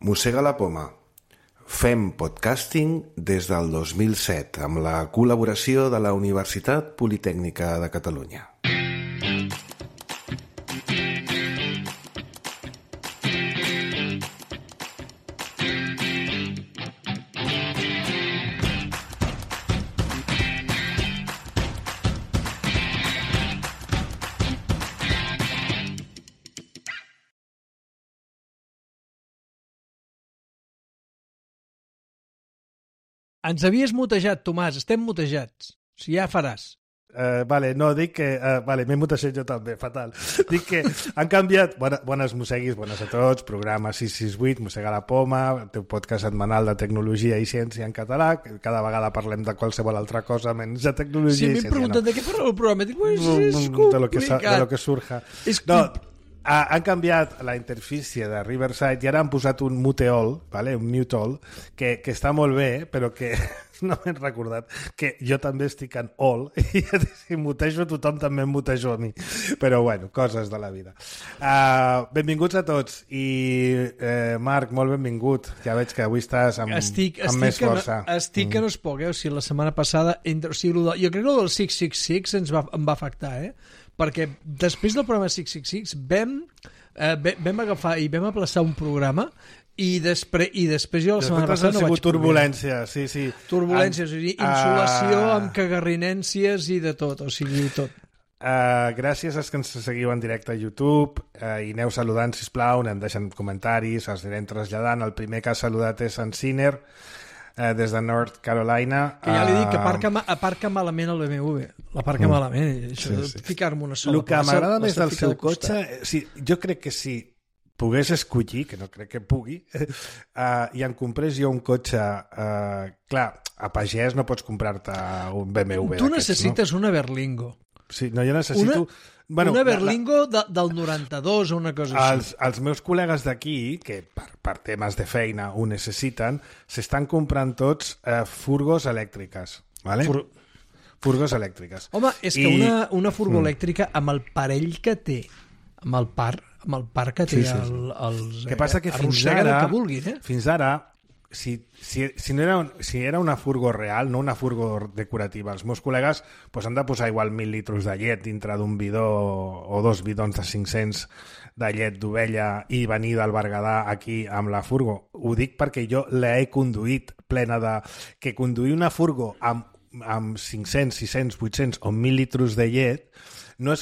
Mossega la poma. Fem podcasting des del 2007 amb la col·laboració de la Universitat Politècnica de Catalunya. Ens havies mutejat, Tomàs, estem mutejats. O sigui, ja faràs. Dic que... m'he mutejat jo també, fatal. Dic que han canviat... Bones mosseguis, bones a tots, programa 668, Mossega la poma, el teu podcast setmanal de tecnologia i ciència en català, que cada vegada parlem de qualsevol altra cosa menys de tecnologia i ciència. Sí, m'he preguntat de què parla el programa. Dic, és complicat. De lo que surja. Han canviat la interfície de Riverside i ara han posat un Muteol, un Mute-all, que està molt bé, però que no m'he recordat que jo també estic en all i si mutejo tothom també em mutejo a mi. Però bueno, coses de la vida. Benvinguts a tots i Marc, molt benvingut. Ja veig que avui estàs amb més força. Estic que no es pot, o sigui, la setmana passada jo crec que el del 666 em va afectar, perquè després del programa 666 vam agafar i vam aplaçar un programa i després jo la setmana passada no vaig poder. Turbulència, sí. Turbulències, o sigui, insolació amb cagarrinències i de tot, o sigui, tot. Gràcies als que ens seguiu en directe a YouTube i aneu saludant, sisplau, anem deixant comentaris, els anirem traslladant. El primer que ha saludat és en Sinner, des de North Carolina. Que ja li dic que aparca malament el BMW. L'aparca malament. Això de ficar-me una sola plaça. El que m'agrada més del seu cotxe, jo crec que si pogués escollir, que no crec que pugui, i em comprés jo un cotxe... Clar, a pagès no pots comprar-te un BMW. Tu necessites una Berlingo. Sí, no, jo necessito... Una Berlingo del 92 o una cosa així. Els meus col·legues d'aquí, que per temes de feina ho necessiten, s'estan comprant tots furgos elèctriques. ¿Vale? Furgos elèctriques. Home, és que una furgo elèctrica amb el parell que té, amb el par que té els... Que passa que fins ara, si era una furgo real, no una furgo decorativa, els meus col·legues han de posar igual 1.000 litres de llet dintre d'un bidó o 2 bidons de 500 de llet d'ovella i venir del Berguedà aquí amb la furgo. Ho dic perquè jo l'he conduït plena de... Que conduir una furgo amb 500, 600, 800 o 1.000 litres de llet no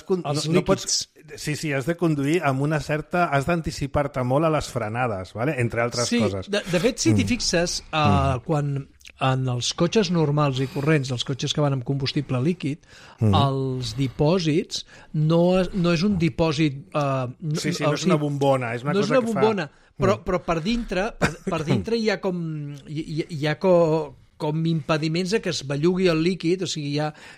pots... Sí, has de conduir amb una certa... Has d'anticipar-te molt a les frenades, ¿vale? Entre altres coses. De fet, si t'hi fixes, quan en els cotxes normals i corrents, els cotxes que van amb combustible líquid, els dipòsits no és un dipòsit... no és una bombona, és una cosa que fa... No és una bombona, però per dintre hi ha com impediments que es bellugui el líquid, o sigui,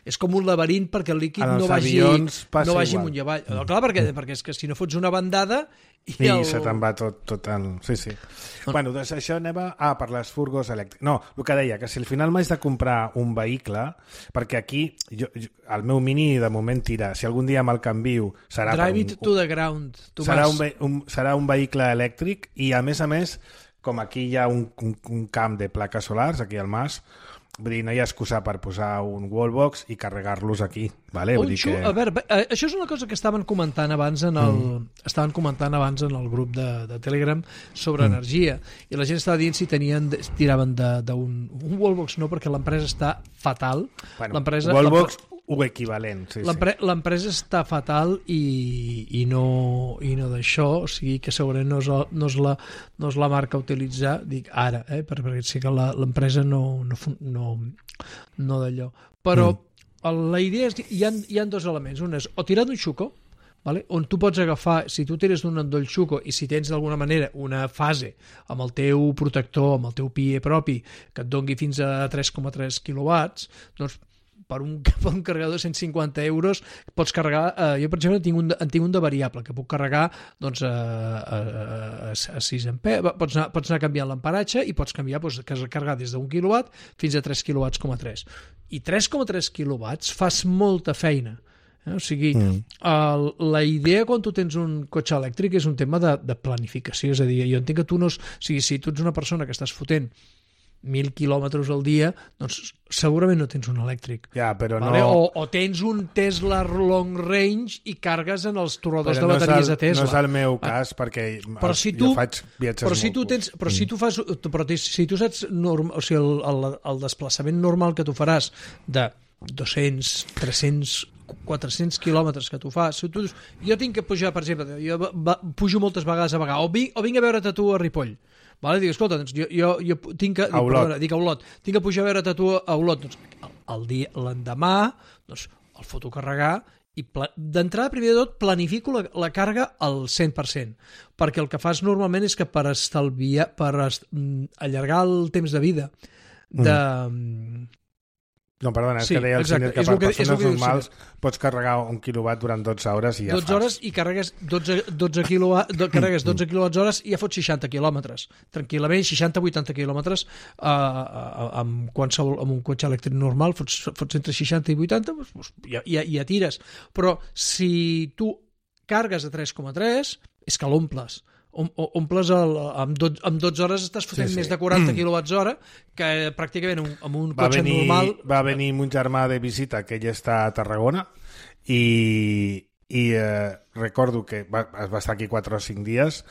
és com un laberint perquè el líquid no vagi amunt i avall. Clar, perquè és que si no fots una bandada... I se te'n va tot el... Sí. Bueno, doncs això anem per les furgos elèctriques. No, el que deia, que si al final m'haig de comprar un vehicle, perquè aquí el meu Mini de moment tira, si algun dia me'l canvio serà... Drive it to the ground. Serà un vehicle elèctric i a més, com aquí hi ha un camp de plaques solars, aquí al Mas, vull dir, no hi ha excusa per posar un wallbox i carregar-los aquí, ¿vale? A veure, això és una cosa que estaven comentant abans en el grup de Telegram sobre energia, i la gent estava dient si tiraven d'un wallbox. No, perquè l'empresa està fatal. Wallbox o equivalent. L'empresa està fatal i no d'això, o sigui que segurament no és la marca a utilitzar, dic ara, perquè sí que l'empresa no d'allò. Però la idea és que hi ha dos elements. Un és o tirar d'un xuco, vale? On tu pots agafar, si tu tires d'un endoll xuco i si tens d'alguna manera una fase amb el teu protector, amb el teu PIE propi, que et dongui fins a 3,3 quilowatts, doncs per un carregador de 150 euros pots carregar, jo per exemple en tinc un de variable que puc carregar doncs, a 6 amperes, pots anar canviant l'amparatge i pots canviar, carregar des d'1 quilowatt fins a 3 quilowatts, I 3,3 quilowatts fas molta feina. O sigui, la idea quan tu tens un cotxe elèctric és un tema de planificació, és a dir, jo entenc que tu no... O sigui, si tu ets una persona que estàs fotent 1.000 quilòmetres al dia, doncs segurament no tens un elèctric. Ja, però vale? no... O tens un Tesla long range i cargues en els torradors de bateries de Tesla. No és el meu cas, perquè jo faig viatges si tu saps o sigui, el desplaçament normal que tu faràs de 200, 300, 400 quilòmetres que tu fas, si tu dius, jo tinc que pujar, per exemple, jo pujo moltes vegades a Bagà, o vinc a veure't a tu a Ripoll, vale? Dic, escolta, doncs jo tinc que... Dic a Olot. Tinc que pujar a veure't a tu a Olot. Doncs l'endemà, doncs, el foto carregar i d'entrada, primer de tot, planifico la càrrega al 100%, perquè el que fas normalment és que per allargar el temps de vida de... No, perdona, és que deia el Ciner que per persones normals pots carregar 1 quilowatt durant 12 hores i ja 12 hores i carregues 12 quilowatts i ja fots 60 quilòmetres. Tranquil·lament, 60-80 quilòmetres amb un cotxe elèctric normal, fots entre 60 i 80, doncs ja tires. Però si tu cargues a 3,3, és que l'omples. Omples amb 12 hores estàs fotent més de 40 quilowatts hora que pràcticament amb un cotxe normal... Va venir mon germà de visita, que ell està a Tarragona, i recordo que va estar aquí 4 o 5 dies,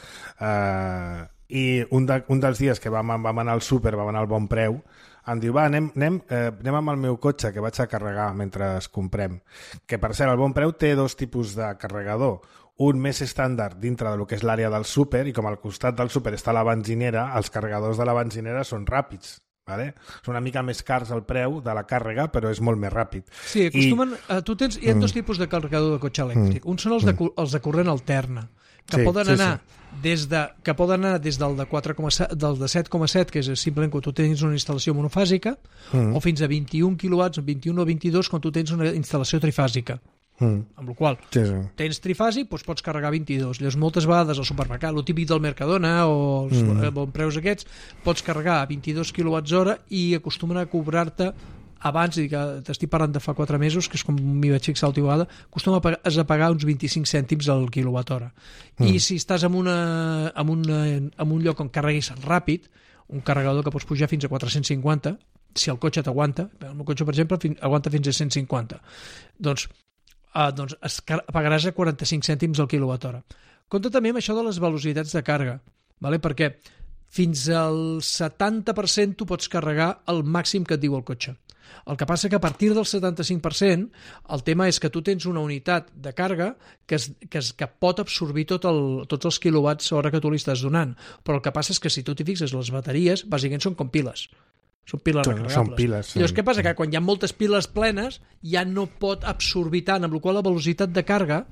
i un dels dies que vam anar al súper, vam anar al Bon Preu, em diu, va, anem amb el meu cotxe, que vaig a carregar mentre es comprem. Que, per cert, el Bon Preu té 2 tipus de carregador. Un més estàndard dintre del que és l'àrea del súper, i com al costat del súper està la benzinera, els carregadors de la benzinera són ràpids. Vale? Són una mica més cars el preu de la càrrega, però és molt més ràpid. Sí, acostumen... Hi ha 2 tipus de carregador de cotxe elèctric. Un són els de corrent alterna, que poden anar des del de 7,7, que és simplement quan tu tens una instal·lació monofàsica, o fins a 21 quilowatts, 21 o 22, quan tu tens una instal·lació trifàsica. Amb la qual tens trifàsic, doncs pots carregar 22. Llavors, moltes vegades al supermercat, el típic del Mercadona o els bons preus aquests, pots carregar a 22 quilowatts hora i acostumen a cobrar-te abans, que t'estic parlant de fa 4 mesos, que és com m'hi vaig fixar l'última vegada, acostumen a pagar uns 25 cèntims al quilowatt hora. I si estàs en un lloc on carreguis ràpid, un carregador que pots pujar fins a 450, si el cotxe t'aguanta, el meu cotxe, per exemple, aguanta fins a 150, doncs pagaràs a 45 cèntims al quilowatt hora. Compte també amb això de les velocitats de càrrega, perquè fins al 70% tu pots carregar el màxim que et diu el cotxe. El que passa que a partir del 75% el tema és que tu tens una unitat de càrrega que pot absorbir tots els quilowatts hora que tu li estàs donant, però el que passa és que si tu t'hi fixes, les bateries bàsicament són com piles. Són piles recarregables. Són piles, sí. Llavors, què passa? Que quan hi ha moltes piles plenes ja no pot absorbir tant, amb la qual la velocitat de càrrega,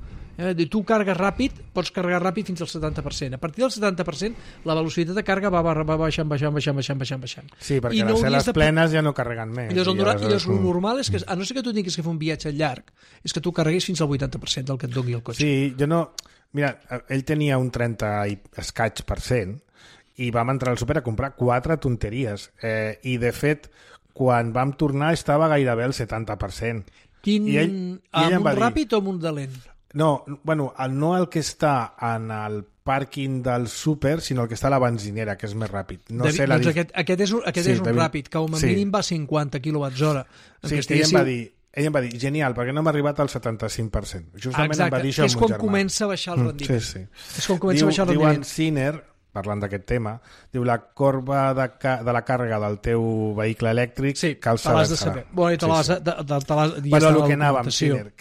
tu carregues ràpid, pots carregar ràpid fins al 70%. A partir del 70%, la velocitat de càrrega va baixant. Sí, perquè les cel·les plenes ja no carreguen més. I llavors, el normal és que, a no ser que tu tinguis que fer un viatge llarg, és que tu carreguis fins al 80% del que et doni el cotxe. Sí, jo no... Mira, ell tenia un 30 i escaig % i vam entrar al súper a comprar 4 tonteries. I, de fet, quan vam tornar estava gairebé al 70%. Amb un ràpid o amb un de lent? No, bueno, no el que està en el pàrquing del súper, sinó el que està a la benzinera, que és més ràpid. No sé aquest és un ràpid, que com a mínim va a 50 quilowatts hora. Sí, que ell em va dir, genial, perquè no hem arribat al 75%. Justament em va dir això és quan comença a baixar el rendiment. Sí. És quan comença a baixar el rendiment. Diu en Ciner, parlant d'aquest tema, diu la corba de la càrrega del teu vehicle elèctric cal saber. Bueno, el que anàvem, Ciner, o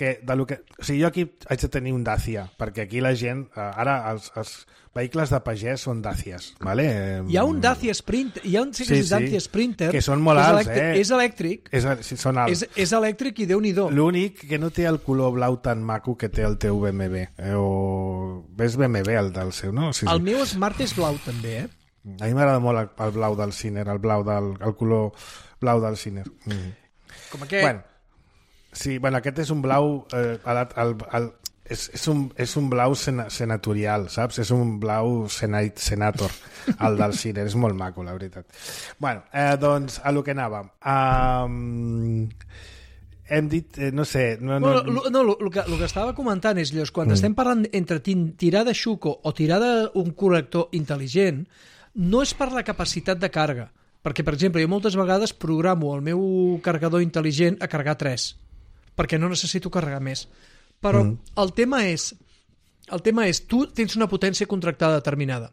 sigui, jo aquí haig de tenir un Dacia, perquè aquí la gent, ara els vehicles de pagès són Dacias, ¿vale? Hi ha un Dacia Sprinter, Dacia Sprinter que són molt alts, és elèctric, són alts. És elèctric i Déu-n'hi-do. L'únic que no té el color blau tan maco que té el teu BMW, ves BMW el del seu, no? Sí. El meu Smart és blau també, A mi m'agrada molt el blau del Ciner, el color blau del Ciner. Com aquest? Aquest és un blau és un blau senatorial, saps? És un blau senator, el del Ciner. És molt maco, la veritat. Doncs, a lo que anàvem. hem dit, no sé... El que estava comentant és, Llos, quan estem parlant entre tirar de xuco o tirar d'un connector intel·ligent, no és per la capacitat de càrrega. Perquè, per exemple, jo moltes vegades programo el meu carregador intel·ligent a carregar 3, perquè no necessito carregar més. Però el tema és, tu tens una potència contractada determinada.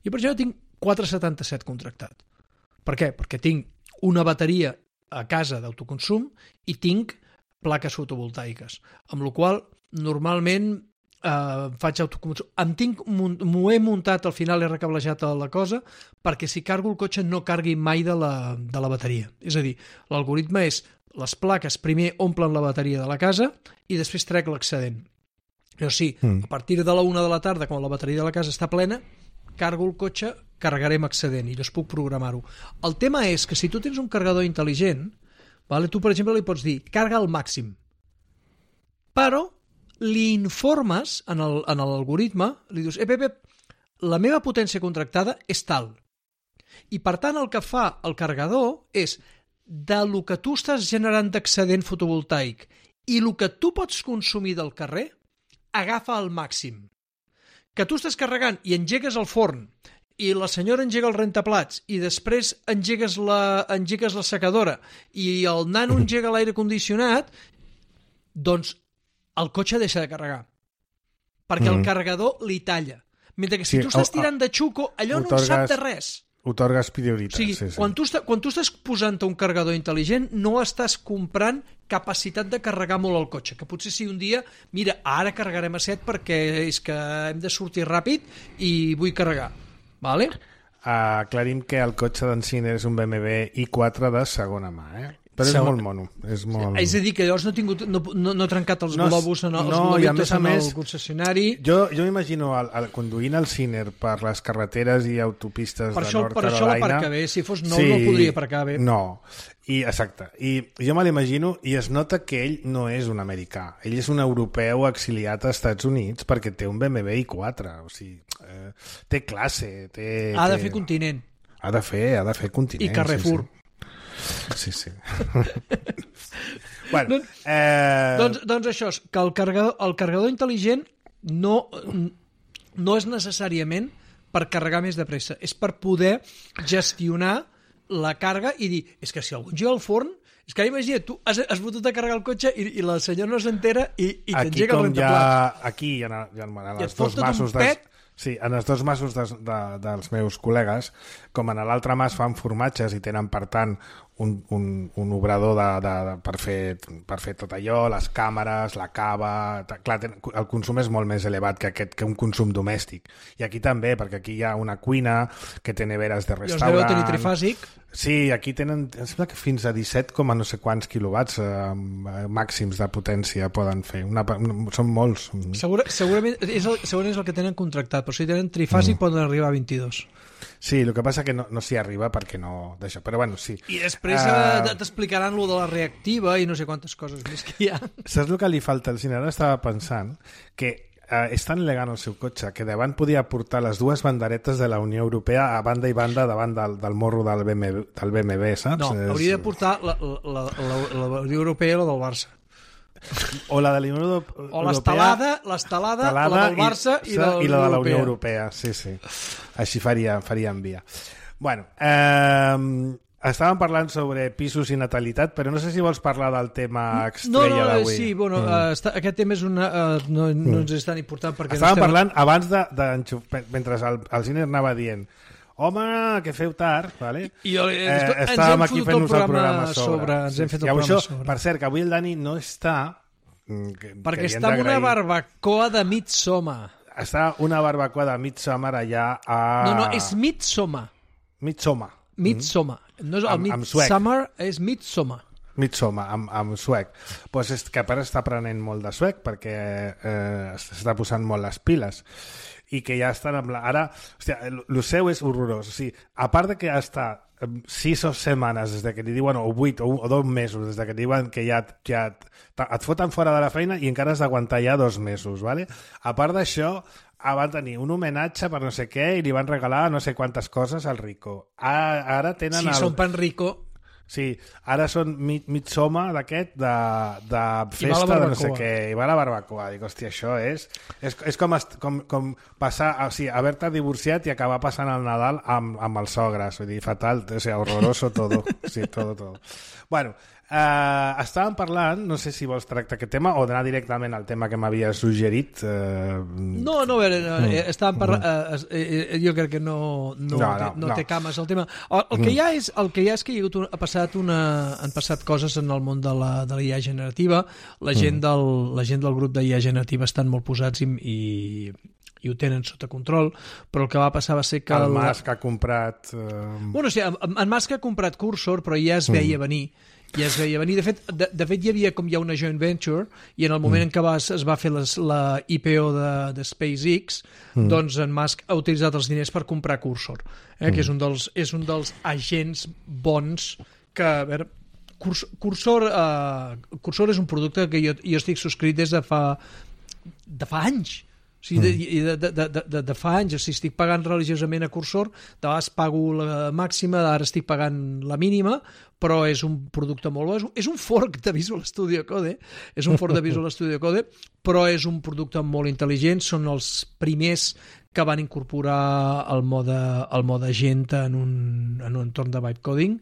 Jo, per exemple, tinc 477 contractat. Per què? Perquè tinc una bateria a casa d'autoconsum i tinc plaques fotovoltaiques, amb la qual normalment faig autoconsum. M'ho he muntat, al final he recablejat la cosa, perquè si cargo el cotxe no cargui mai de la bateria. És a dir, l'algoritme és les plaques primer omplen la bateria de la casa i després trec l'excedent. Però sí, a partir de la 1 de la tarda, quan la bateria de la casa està plena, cargo el cotxe, carregarem excedent i llavors puc programar-ho. El tema és que si tu tens un carregador intel·ligent, tu, per exemple, li pots dir carga al màxim, però li informes en l'algoritme, li dius, Pep, la meva potència contractada és tal. I, per tant, el que fa el carregador és de lo que tu estàs generant d'excedent fotovoltaic i el que tu pots consumir del carrer, agafa al màxim. Que tu estàs carregant i engegues el forn i la senyora engega el rentaplats i després engegues la secadora i el nano engega l'aire condicionat, doncs el cotxe deixa de carregar. Perquè el carregador li talla. Mentre que si tu estàs tirant de xuco, allò no sap de res. Otorgues prioritat. O sigui, quan tu estàs posant un carregador intel·ligent, no estàs comprant capacitat de carregar molt el cotxe, que potser si un dia, mira, ara carregarem a 7 perquè és que hem de sortir ràpid i vull carregar. Vale? Aclarim que el cotxe d'en Siner és un BMW i4 de segona mà, Però és molt mono. És a dir, que llavors no he trencat els globus en els globitos en el concessionari. Jo m'imagino conduint el Siner per les carreteres i autopistes de Nord Carolina. Per això l'aparca bé. Si fos nou no podria aparcar bé. No, exacte. I jo me l'imagino i es nota que ell no és un americà. Ell és un europeu exiliat als Estats Units perquè té un BMW i4. O sigui, té classe. Ha de fer continent. Ha de fer continent. I Carrefour. Sí. Bueno, doncs això és que el carregador intel·ligent no és necessàriament per carregar més de pressa, és per poder gestionar la càrrega i dir, és que si algú engega el forn, és que imagina't, tu has fotut a carregar el cotxe i la senyora no s'entera i t'engega el rentaplats. Aquí, en els dos masos en els dos masos dels meus col·legues, com en l'altre mas fan formatges i tenen, per tant, un obrador per fer tot allò, les càmeres, la cava... Clar, el consum és molt més elevat que un consum domèstic. I aquí també, perquè aquí hi ha una cuina que té neveres de restaurant... I els deu tenir trifàsic. Sí, aquí tenen, em sembla que fins a 17, no sé quants quilowatts màxims de potència poden fer. Són molts. Segurament és el que tenen contractat, però si tenen trifàsic poden arribar a 22. Sí, el que passa que no s'hi arriba perquè no d'això, però bueno, sí. I després t'explicaran lo de la reactiva i no sé quantes coses més que hi ha. Saps el que li falta al Cine? Ara estava pensant que és tan elegant el seu cotxe que davant podia portar les dues banderetes de la Unió Europea a banda i banda davant del morro del BMW, saps? No, hauria de portar la Unió Europea o la del Barça. O la de la Unió Europea... O l'estelada, la del Barça i la de la Unió Europea. Sí. Així faria envia. Bueno, estàvem parlant sobre pisos i natalitat, però no sé si vols parlar del tema estrella d'avui. Sí, bueno, aquest tema és no ens és tan important perquè... Estàvem parlant abans mentre el Cine anava dient home, que feu tard, vale? Estàvem aquí fent-nos el programa sobre. Ens hem fet el programa sobre. Per cert, que avui el Dani no està... Perquè està en una barbacoa de Midsommar. Està una barbacoa de Midsommar allà a... No, és Midsommar. Midsommar. No és el Midsommar, és Midsommar. Midsommar, amb suec. Pues és que ara està aprenent molt de suec perquè s'està posant molt les piles i que ja estan amb ara, hòstia, el seu és horrorós, o sigui, a part de que està 6 setmanes des de que li diuen, o 8 o 2 mesos des de que diuen que ja et foten fora de la feina i encara has d'aguantar ja 2 mesos, ¿vale? A part d'això, van tenir un homenatge per no sé què i li van regalar no sé quantes coses al Rico. Ara tenen són pan Rico. Sí, ara són Midsommar d'aquest, de festa, de no sé què, i va a la barbacoa. Dic, hòstia, això és com passar, o sigui, haver-te divorciat i acabar passant el Nadal amb els sogres, vull dir, fatal, o sigui, horroroso todo. Sí, todo. Bueno, estàvem parlant, no sé si vols tractar aquest tema o d'anar directament al tema que m'havia suggerit. No, a veure, estàvem parlant... jo crec que no té cames el tema. El que hi ha és que han passat coses en el món de la IA generativa. La gent del grup d'IA generativa estan molt posats i ho tenen sota control, però el que va passar va ser que... El Musk ha comprat... Bueno, sí, en Musk ha comprat Cursor, però ja es veia venir. De fet, hi havia com ja una joint venture, i en el moment en què es va fer la IPO de SpaceX, doncs en Musk ha utilitzat els diners per comprar Cursor, que és un dels agents bons que... A veure, Cursor és un producte que jo estic subscrit des de fa anys. O sigui, de fa anys, o sigui, estic pagant religiosament a Cursor, de vegades pago la màxima, ara estic pagant la mínima, però és un producte molt bo. És un fork de Visual Studio Code, però és un producte molt intel·ligent. Són els primers que van incorporar el mode agent en un entorn de vibe coding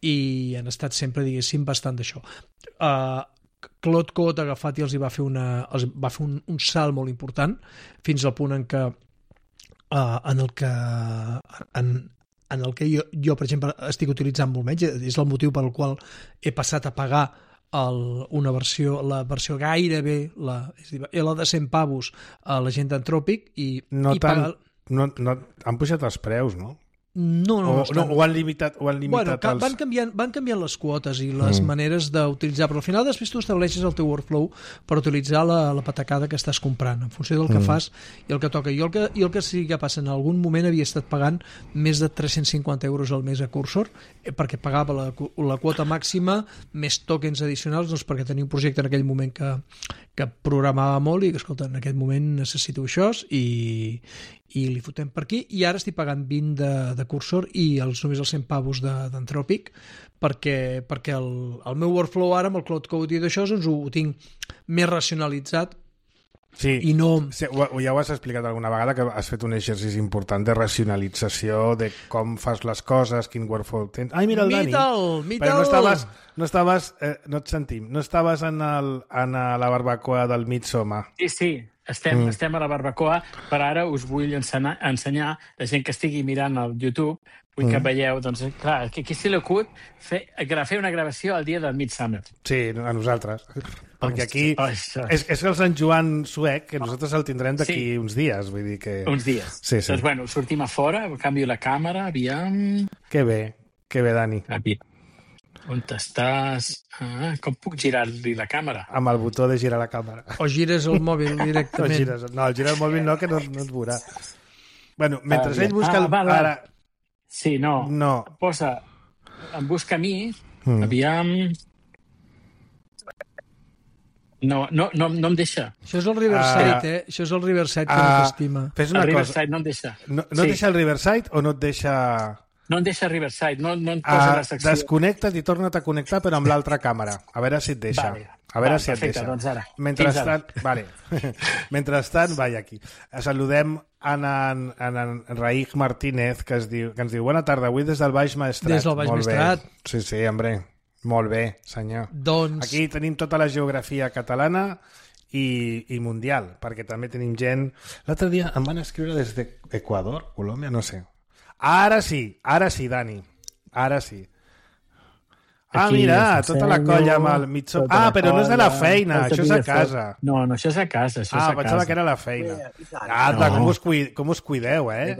i han estat sempre, diguéssim, bastant d'això. Claude Code ha agafat i els va fer un salt molt important, fins al punt en què jo, per exemple, estic utilitzant molt menys. És el motiu pel qual he passat a pagar la versió gairebé la de 100 pavos a la gent d'Anthropic han pujat els preus, no? No, ho han limitat bueno, van canviant les quotes i les maneres d'utilitzar, però al final després tu estableixes el teu workflow per utilitzar la patacada que estàs comprant en funció del que fas i el que toca. Jo el que sí que passa, en algun moment havia estat pagant més de 350 euros al mes a Cursor, perquè pagava la quota màxima més tokens addicionals, doncs perquè tenia un projecte en aquell moment que programava molt i que, escolta, en aquest moment necessito això i li fotem per aquí, i ara estic pagant 20 de Cursor i només els 100 pavos d'Anthropic, perquè el meu workflow ara amb el Cloud Code i d'això doncs ho tinc més racionalitzat. Sí, i no... ja ho has explicat alguna vegada, que has fet un exercici important de racionalització de com fas les coses, quin workflow tens. Ai, mira el Dani! Però no et sentim, no estaves en la barbacoa del Midsommar. Sí, estem a la barbacoa, però ara us vull ensenyar la gent que estigui mirant al YouTube, vull que veieu, doncs, clar, que aquí se l'acut fer una gravació el dia del Midsummer. Sí, a nosaltres. Perquè aquí és el Sant Joan suec, que nosaltres el tindrem d'aquí uns dies, vull dir que... Uns dies. Sí. Doncs, bueno, sortim a fora, canvio la càmera, aviam... Que bé, Dani. On estàs? Com puc girar-li la càmera? Amb el botó de girar la càmera. O gires el mòbil directament. Girar el mòbil no, que no et veurà. Bueno, mentre ell busca... Ara... Sí, no. Posa... Em busca a mi, aviam... No em deixa. Això és el Riverside, Això és el Riverside que no t'estima. Fes una cosa. Riverside no em deixa. No et deixa el Riverside o no et deixa... No em deixa Riverside, no em posa la secció. Desconnecta't i torna't a connectar, però amb l'altra càmera. A veure si et deixa. Si et deixa. Doncs ara. Mentrestant, vaja aquí. Saludem en Raig Martínez, que ens diu bona tarda, avui des del Baix Maestrat. Des del Baix Maestrat. Sí, hombre. Molt bé, senyor. Doncs... Aquí tenim tota la geografia catalana i mundial, perquè també tenim gent... L'altre dia em van escriure des d'Equador, Colòmbia, no sé. Ara sí, Dani. Ara sí. Mira, tota la colla amb el Midsommar. Però no és de la feina, això és a casa. No, això és a casa, pensava que era la feina. Com us cuideu, eh?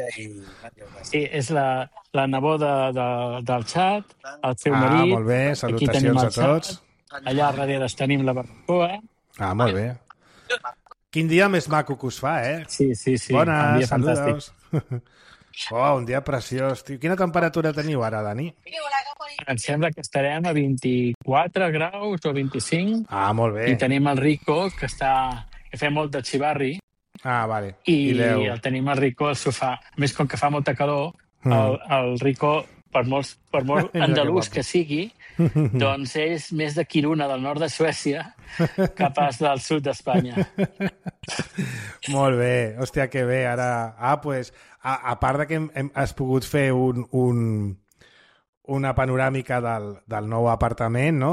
Sí, és la neboda del xat, el seu marit. Molt bé, salutacions a tots. Allà darrere tenim la barbacoa. Molt bé. Quin dia més maco que us fa, eh? Sí. Bones, saludos. Un dia preciós. Quina temperatura teniu ara, Dani? Em sembla que estarem a 24 graus o 25. Molt bé. I tenim el Rico, que fa molt de xivarri. Vale. I el tenim el Rico al sofà. A més, com que fa molta calor, el Rico, per molt andalús que sigui, doncs és més de Kiruna, del nord de Suècia, que pas del sud d'Espanya. Molt bé, hòstia, que bé. Ara, pues, a part de que has pogut fer una panoràmica del nou apartament, no?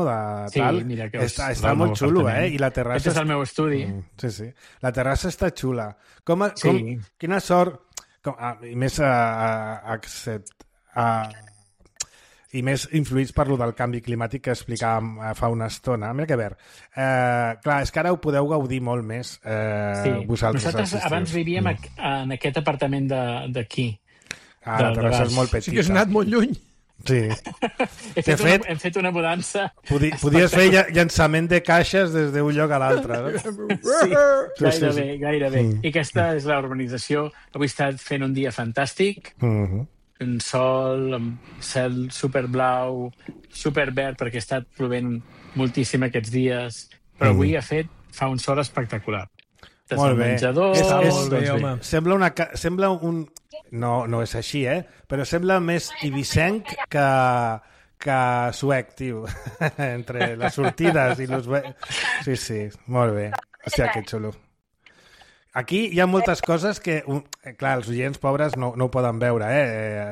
Sí, tal. Mira que està molt xulo, I la terrassa... Aquest és el meu estudi. Sí. La terrassa està xula. Quina sort... I més influïts per lo del canvi climàtic que explicàvem fa una estona. Mira que ver. Clar, és que ara ho podeu gaudir molt més vosaltres. Nosaltres abans vivíem en aquest apartament d'aquí. La terrassa és molt petita. Sí que has anat molt lluny. Sí. Hem fet una mudança. Podies fer llançament de caixes des d'un lloc a l'altre. No? Sí, gairebé. I aquesta és la urbanització. Avui he estat fent un dia fantàstic. Un sol, amb cel superblau, superverd, perquè he estat plovent moltíssim aquests dies. Però avui fa un sol espectacular. Molt bé. Menjador, sembla un... No és així, però sembla més ibicenc que suec, tio. Entre les sortides i los... Sí, molt bé. Hòstia, que xulo. Aquí hi ha moltes coses que... Clar, els oients pobres no ho poden veure,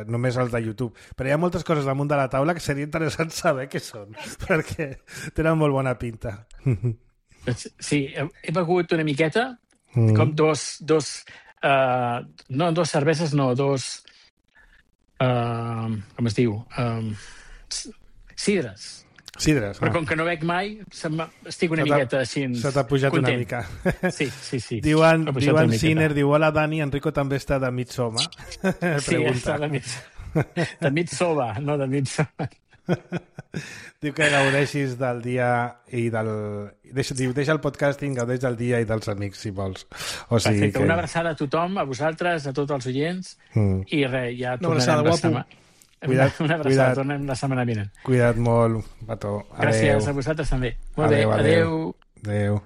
només els de YouTube. Però hi ha moltes coses damunt de la taula que seria interessant saber què són, perquè tenen molt bona pinta. Sí, he begut una miqueta, com dos cerveses, no, com es diu? Sidres. Però com que no bec mai, estic una miqueta així... Se t'ha pujat content. Una mica. Sí. Diuen Sinner, diu, hola Dani, Enrico també està de Midsommar. Sí, està de Midsommar, no de Midsommar. Diu que gaudeixis del dia i del... Deixa el podcasting, gaudeix del dia i dels amics, si vols. O sigui perfecte, una abraçada a tothom, a vosaltres, a tots els oients, i res, ja tornarem la setmana. Una abraçada, tornem la setmana vinent. Cuida't molt, Pato. Gràcies a vosaltres també. Molt bé, adeu.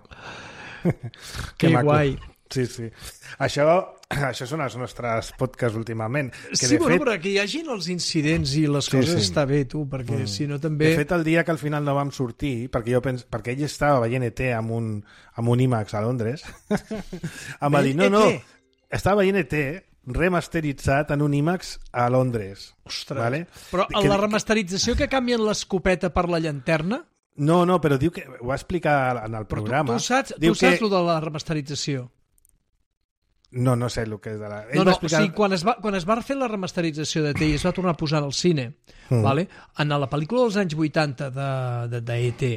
Que guai. Sí. Això són els nostres podcasts últimament. Que sí, bueno, però que hi hagin els incidents i les coses està bé, tu, perquè si no també... De fet, el dia que al final no vam sortir, perquè ell estava veient ET amb un IMAX a Londres, em va dir, no, estava veient ET remasteritzat en un IMAX a Londres. Ostres, vale? Però la remasterització que canvien l'escopeta per la llanterna... No, però diu que ho va explicar en el programa. Tu saps el de la remasterització? No sé el que és de la... O sigui, quan es va fer la remasterització de T i es va tornar a posar al cine, vale? En la pel·lícula dels anys 80 d'E.T.,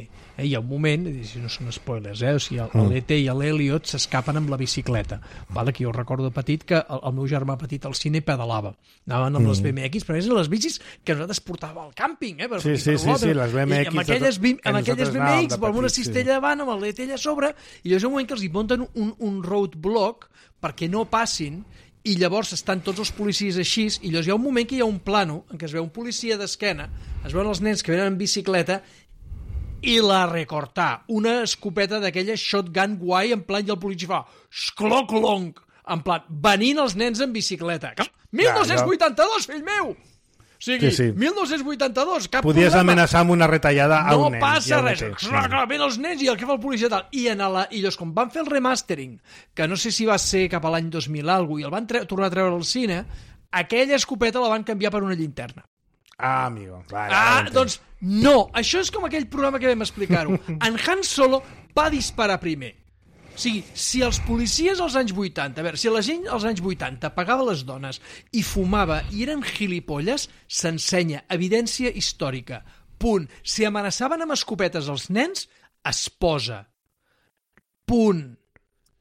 hi ha un moment, si no són spoilers, o sigui, l'E.T. i l'Elliot s'escapen amb la bicicleta, vale? Que jo recordo petit que el meu germà petit al cine pedalava, anaven amb les BMX, però eren les bicis que nosaltres portàvem al càmping, Sí, les BMX. Amb aquelles BMX, amb una cistella davant, amb l'E.T. allà a sobre, i llavors un moment que els hi munten un roadblock perquè no passin, i llavors estan tots els policies així, i llavors hi ha un moment que hi ha un plano en què es veu un policia d'esquena, es veuen els nens que venen en bicicleta, i la recortar, una escopeta d'aquella shotgun guai, en plan, i el policia fa xcloc-lonc, en plan, venint els nens en bicicleta. 1982, fill meu! O sigui, sí. 1982, cap Podies problema. amenaçar amb una retallada a un nen. No passa res. Clar, ven els nens i el que fa el policia tal. I llavors, com van fer el remastering, que no sé si va ser cap a l'any 2000 i el van tornar a treure al cine, aquella escopeta la van canviar per una llinterna. Amigo. Vale, doncs no. Això és com aquell programa que vam explicar-ho. En Han Solo va disparar primer. O sigui, si els policies als anys 80, a veure, si la gent als anys 80 pagava les dones i fumava i eren gilipolles, s'ensenya evidència històrica. Punt. Si amenaçaven amb escopetes als nens, es posa. Punt.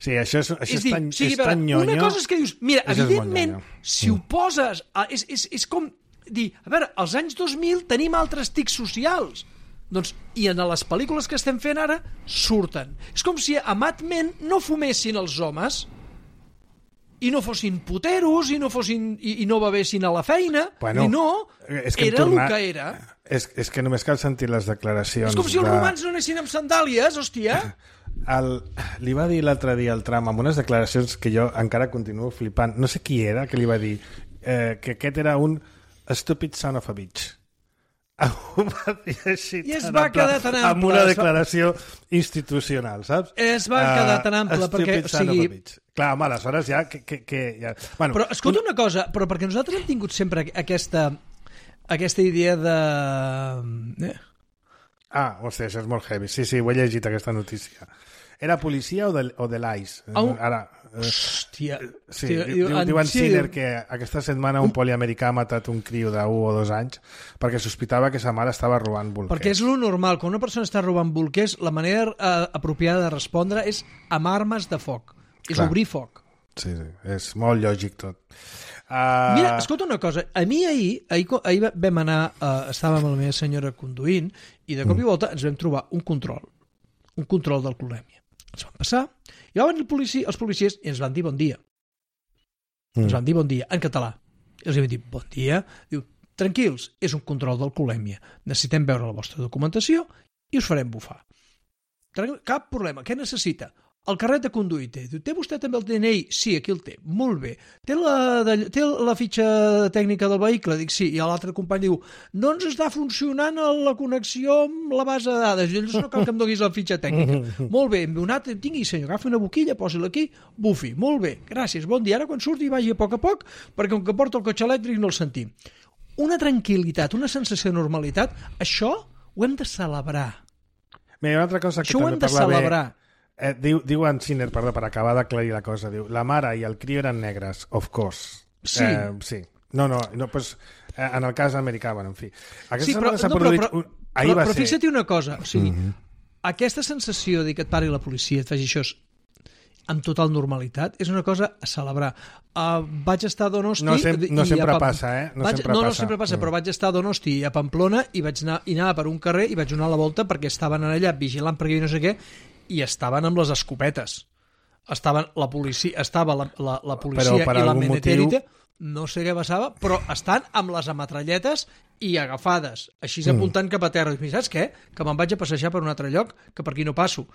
Sí, això és tan nyonyo. Una cosa és que dius, mira, evidentment, si ho poses... És com dir, a veure, als anys 2000 tenim altres tics socials. Doncs, i en les pel·lícules que estem fent ara surten. És com si a Mad Men no fumessin els homes i no fossin puteros i no bevessin a la feina, i no, era el que era. És que només cal sentir les declaracions. És com si els romans no anessin amb sandàlies, hòstia. Li va dir l'altre dia al Trump amb unes declaracions que jo encara continuo flipant. No sé qui era que li va dir que aquest era un stupid son of a bitch. Ho va dir així I es va quedar tan ample. amb una declaració institucional, saps? Es va quedar tan ample perquè... O sigui... Clar, home, aleshores ja... ja... Bueno, però escolta una cosa, però perquè nosaltres hem tingut sempre aquesta idea de... hòstia, això és molt heavy. Sí, ho he llegit, aquesta notícia. Era policia o de l'AIS? Ara... Hòstia. Sí, diuen Sinner que aquesta setmana un poliamericà ha matat un criu d'1 o 2 anys perquè sospitava que sa mare estava robant bolquers. Perquè és lo normal. Quan una persona està robant bolquers, la manera apropiada de respondre és amb armes de foc. És obrir foc. Sí, és molt lògic tot. Mira, escolta una cosa. A mi ahir vam anar, estàvem amb la meva senyora conduint i de cop i volta ens vam trobar un control d'alcoholèmia. Ens van passar, i van els policies i ens van dir bon dia. Ens van dir bon dia, en català. I els vam dir bon dia. Diu, tranquils, és un control d'alcoholèmia. Necessitem veure la vostra documentació i us farem bufar. Cap problema. Què necessita? El carnet de conduir té. Diu, té vostè també el DNI? Sí, aquí el té. Molt bé. Té la fitxa tècnica del vehicle? Dic, sí. I l'altre company diu, no ens està funcionant la connexió amb la base de dades. Llavors no cal que em donis la fitxa tècnica. Molt bé, hem donat, tingui, senyor, agafi una boquilla, posi-la aquí, bufi. Molt bé, gràcies, bon dia. Ara quan surti vagi a poc, perquè com que porta el cotxe elèctric no el sentim. Una tranquil·litat, una sensació de normalitat, això ho hem de celebrar. Mira, una altra cosa que això ho hem de celebrar. Diu en Sinner, perdó, per acabar d'aclarir la cosa, diu, la mare i el criu eren negres, of course. Sí. Sí. No, pues, en el cas americà, bueno, en fi. Sí, però fixa't una cosa, o sigui, aquesta sensació de que et pari la policia, et faci això amb total normalitat, és una cosa a celebrar. Vaig estar a Donosti... No sempre passa, No sempre passa, però vaig estar a Donosti i a Pamplona i anava per un carrer i vaig donar la volta perquè estaven allà vigilant perquè no sé què, i estaven amb les escopetes. Estava la policia i la meneterita, no sé què passava, però estan amb les ametralletes i agafades, així apuntant cap a terra. I saps què? Que me'n vaig a passejar per un altre lloc, que per aquí no passo.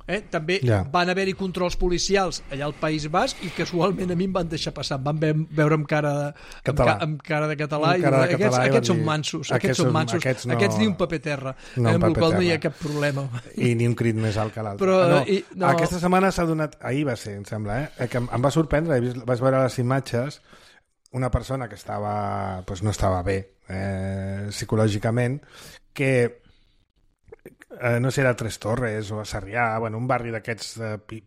També van haver-hi controls policials allà al País Basc i casualment a mi em van deixar passar, em van veure amb cara de català i aquests són mansos, aquests ni un paper terra, amb el qual no hi ha cap problema. I ni un crit més alt que l'altre. Aquesta setmana s'ha donat, ahir va ser, em sembla, que em va sorprendre, vaig veure les imatges, una persona que no estava bé psicològicament, que no sé, era a Tres Torres o a Sarrià, un barri d'aquests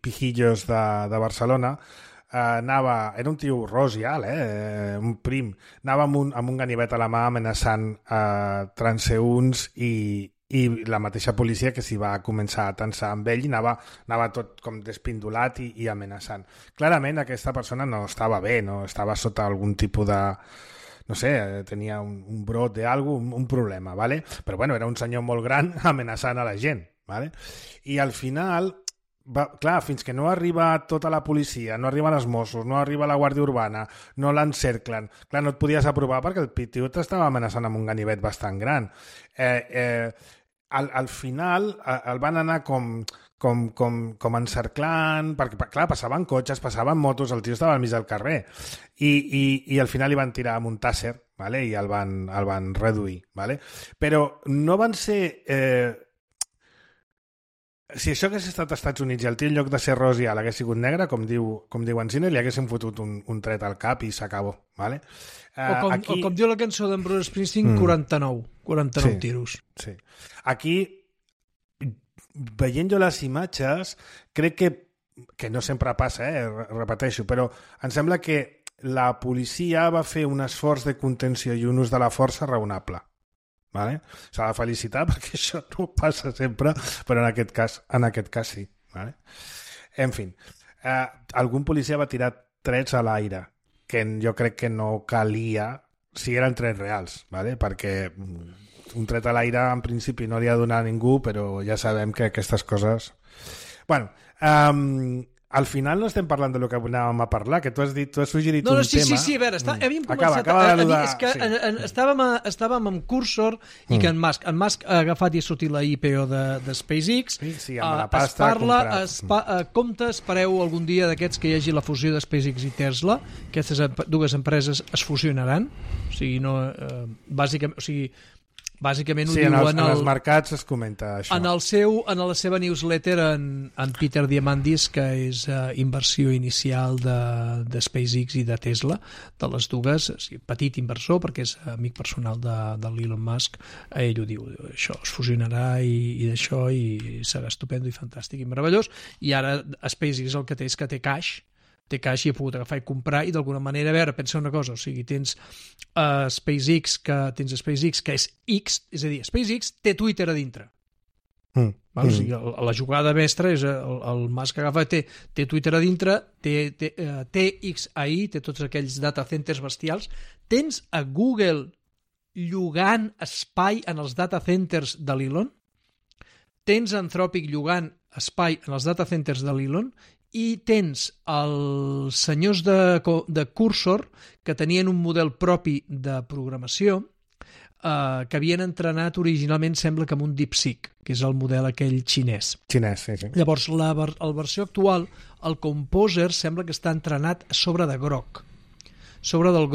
pijillos de Barcelona, era un tio ros i alt, un prim, anava amb un ganivet a la mà amenaçant transeünts i la mateixa policia que s'hi va començar a tensar amb ell i anava tot com despindolat i amenaçant. Clarament aquesta persona no estava bé, no estava sota algun tipus de... no sé, tenia un brot un problema, ¿vale? Però bueno, era un senyor molt gran amenaçant a la gent, ¿vale? I al final, clar, fins que no arriba tota la policia, no arriben els Mossos, no arriba la Guàrdia Urbana, no l'encerclen, clar, no et podies aprovar perquè el tio t'estava amenaçant amb un ganivet bastant gran. Al final el van anar com encerclant, perquè clar, passaven cotxes, passaven motos, el tio estava al mig del carrer i al final li van tirar amb un tàser, ¿vale? I el van reduir, ¿vale? Però no van ser... Si això hagués estat als Estats Units i el tio en lloc de ser ros i alt hagués sigut negre, com diu en Sinner, li haguessin fotut un tret al cap i s'acabó, ¿vale? O com diu la cançó d'en Bruce Springsteen, 49 tiros. Sí. Aquí, veient jo les imatges, crec que no sempre passa, repeteixo, però em sembla que la policia va fer un esforç de contenció i un ús de la força raonable. Vale? S'ha de felicitar perquè això no passa sempre, però en aquest cas sí. Vale? En fi, algun policia va tirar trets a l'aire, que jo crec que no calia si eren trets reals, vale? Perquè un tret a l'aire en principi no li ha donat a ningú, però ja sabem que aquestes coses... Bueno, al final no estem parlant de lo que anàvem a parlar, que tu has suggerit un tema... Sí, a veure, havíem començat... És que estàvem amb Cursor i que en Musk ha agafat i ha sortit la IPO de SpaceX. Sí, amb la pasta... Compte, espereu algun dia d'aquests que hi hagi la fusió de SpaceX i Tesla, aquestes dues empreses es fusionaran, o sigui, no... bàsicament, o sigui, bàsicament ho sí, diu en els mercats es comenta això. En la seva newsletter en Peter Diamandis, que és inversió inicial de SpaceX i de Tesla, de les dues, petit inversor perquè és amic personal de l'Elon Musk, ell ho diu, això es fusionarà i d'això, i serà estupendo i fantàstic i meravellós, i ara SpaceX el que té és que té cash i he pogut agafar i comprar, i d'alguna manera, a veure, pensa una cosa, o sigui, tens SpaceX, que és X, és a dir, SpaceX té Twitter a dintre. O sigui, la jugada mestra és el Musk que agafa, té Twitter a dintre, té XAI, té tots aquells data centers bestials, tens a Google llogant espai en els data centers de l'Elon, tens Anthropic llogant espai en els data centers de l'Elon, i tens els senyors de Cursor que tenien un model propi de programació que havien entrenat originalment, sembla que amb un DeepSeek, que és el model aquell xinès. Xinès, sí. Llavors, la versió actual, el Composer, sembla que està entrenat a sobre de Grok. Sobre del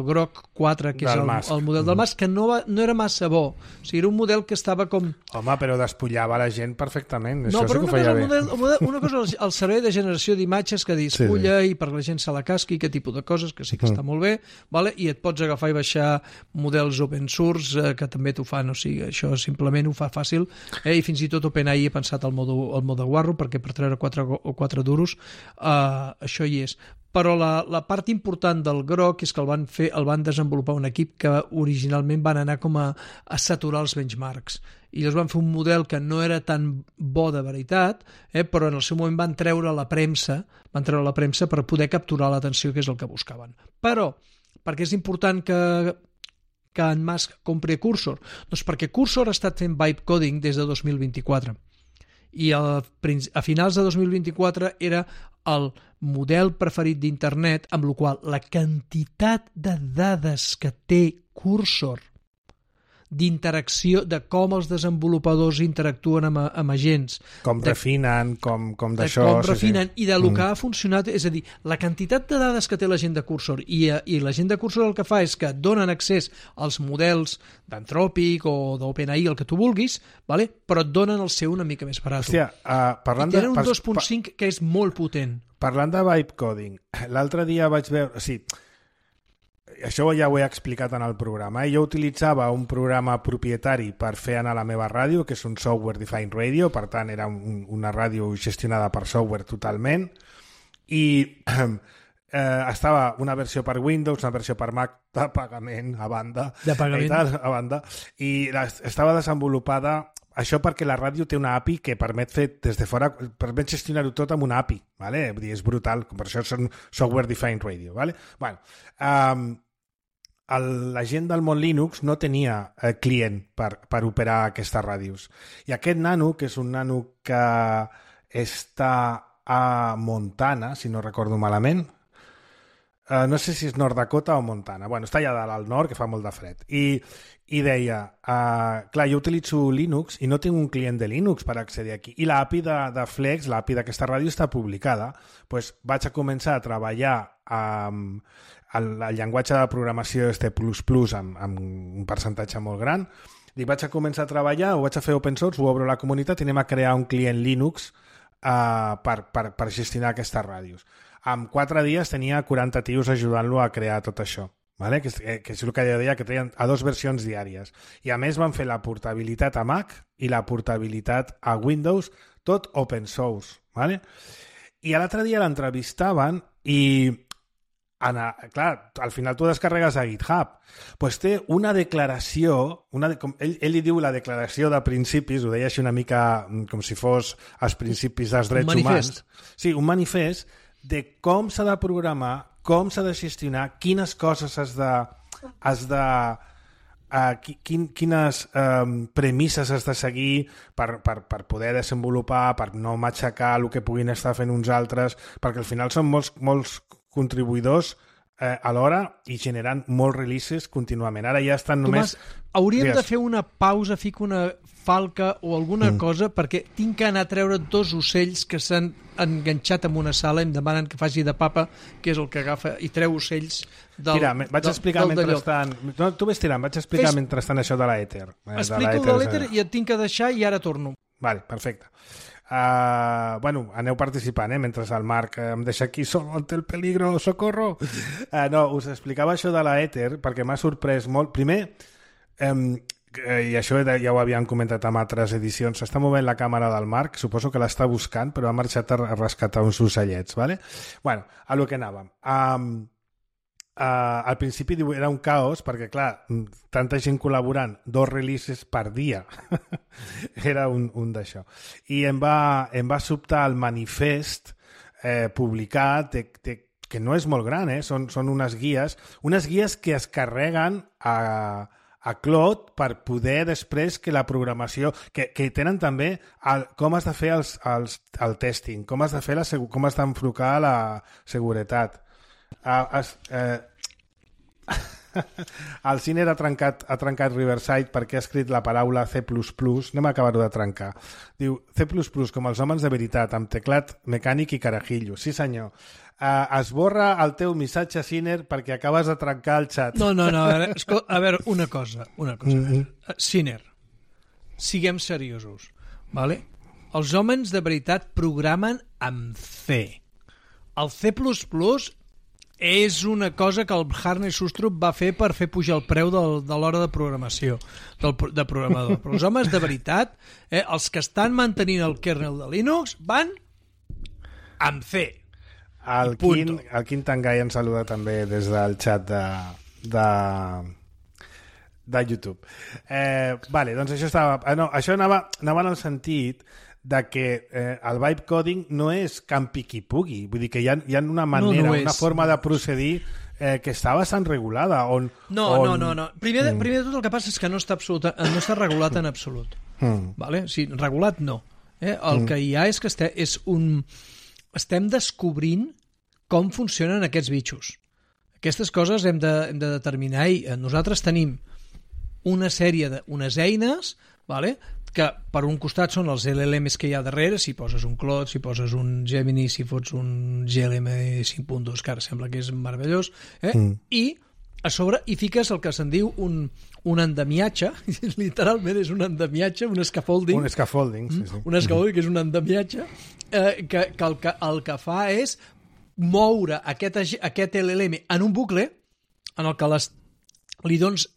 Grok 4, que és el model del Musk, que no era massa bo. O sigui, era un model que estava com... Home, però despullava la gent perfectament. No, però una cosa, el servei de generació d'imatges que despulla i per la gent se la casqui, aquest tipus de coses, que sí que està molt bé, vale? I et pots agafar i baixar models open source, que també t'ho fan, o sigui, això simplement ho fa fàcil, i fins i tot OpenAI he pensat al mode guarro, perquè per treure 4 duros això hi és. Però la part important del Grok és que el van desenvolupar un equip que originalment van anar com a saturar els benchmarks. I llavors van fer un model que no era tan bo de veritat, però en el seu moment van treure la premsa per poder capturar l'atenció, que és el que buscaven. Però, per què és important que en Musk compri Cursor? Doncs perquè Cursor ha estat fent vibe coding des de 2024. I a finals de 2024 era el model preferit d'internet, amb la qual la quantitat de dades que té Cursor d'interacció, de com els desenvolupadors interactuen amb agents, com refinen, com d'això, com refinen, i de lo que ha funcionat, és a dir, la quantitat de dades que té la gent de Cursor, i la gent de Cursor el que fa és que donen accés als models d'Anthropic o d'OpenAI, el que tu vulguis, vale? Però et donen el seu una mica més barat. Hòstia, i tenen un 2.5 que és molt potent. Parlant de vibe coding, l'altre dia vaig veure... O sigui, això ja ho he explicat en el programa. Jo utilitzava un programa propietari per fer anar la meva ràdio, que és un software defined radio, per tant era una ràdio gestionada per software totalment, i estava una versió per Windows, una versió per Mac de pagament a banda, i estava desenvolupada això perquè la ràdio té una API que permet fer des de fora, permet gestionar-ho tot amb una API, ¿vale? És brutal, per això són software defined radio, ¿vale? Bueno, la gent del món Linux no tenia client per operar aquestes ràdios. I aquest nano, que és un nano que està a Montana, si no recordo malament, no sé si és Nord Dakota o Montana, bueno, està allà dalt al nord, que fa molt de fred, i deia, clar, jo utilitzo Linux i no tinc un client de Linux per accedir aquí, i l'API de Flex, l'API d'aquesta ràdio està publicada, doncs vaig a començar a treballar amb el llenguatge de programació C++ amb un percentatge molt gran, i vaig a començar a treballar, ho vaig a fer open source, ho obro a la comunitat i anem a crear un client Linux per gestionar aquestes ràdios. En 4 dies tenia 40 tios ajudant-lo a crear tot això, ¿vale? que és el que jo deia, que treien a 2 versions diàries. I a més van fer la portabilitat a Mac i la portabilitat a Windows, tot open source. ¿Vale? I l'altre dia l'entrevistaven i clar, al final tu descarregues a GitHub, pues té una declaració, ell li diu la declaració de principis, ho deia així una mica com si fos els principis dels drets humans. Sí, un manifest de com s'ha de programar, com s'ha de gestionar, quines coses quines premisses has de seguir per poder desenvolupar, per no matxacar el que puguin estar fent uns altres, perquè al final són molts contribuïdors alhora i generant molts releases contínuament. Ara ja estan només... Tomàs, hauríem de fer una pausa, fico una falca o alguna cosa, perquè tinc que anar a treure 2 ocells que s'han enganxat en una sala i em demanen que faci de papa, que és el que agafa i treu ocells del... Tira, vaig explicar mentrestant... No, tu ves tirant, vaig explicar mentrestant això de l'èter. Explico de l'èter i et tinc que deixar i ara torno. Vale, perfecte. Bueno, aneu participant, mentre el Marc em deixa aquí sol ante el peligro, socorro. No, us explicava això de l'èter perquè m'ha sorprès molt. Primer, i això ja ho havíem comentat en altres edicions, s'està movent la càmera del Marc, suposo que l'està buscant, però ha marxat a rescatar uns ocellets, ¿vale? Bueno, a lo que anàvem. Al principi era un caos perquè, clar, tanta gent col·laborant, 2 releases per dia. Era un d'això. I em va sobtar el manifest publicat que no és molt gran, són unes guies que es carreguen a Cloud per poder després que la programació... que tenen també com has de fer el testing, com has d'enfocar la seguretat. El Ciner ha trencat Riverside perquè ha escrit la paraula C++, anem a acabar-ho de trencar. Diu C++ com els homes de veritat, amb teclat mecànic i carajillo. Sí senyor. Esborra el teu missatge, Ciner, perquè acabes de trencar el xat. No, a veure, una cosa. Ciner, siguem seriosos, vale? Els homes de veritat programen amb C. El C++ és una cosa que el Harney Sustrup va fer per fer pujar el preu de l'hora de programació, de programador. Però els homes de veritat, els que estan mantenint el kernel de Linux, van amb C. El Quint Tangai ens saluda també des del xat de YouTube. Vale, doncs això anava en el sentit de que el vibe coding no és campi qui pugui, vull dir que hi ha una manera, una forma de procedir que està bastant regulada. No. Primer de tot el que passa és que no està regulat en absolut. Vale? Sí, regulat no. El que hi ha és que estem descobrint com funcionen aquests bitxos. Aquestes coses hem de determinar i nosaltres tenim una sèrie d'unes eines, vale? Que per un costat són els LLMs que hi ha darrere, si poses un Claude, si poses un Gemini, si fots un GLM 5.2, que ara sembla que és meravellós, i a sobre hi fiques el que se'n diu un endemiatge, literalment és un endemiatge, un scaffolding. Un scaffolding, sí. Un scaffolding que és un endemiatge, que el que fa és moure aquest LLM en un bucle en el que li dones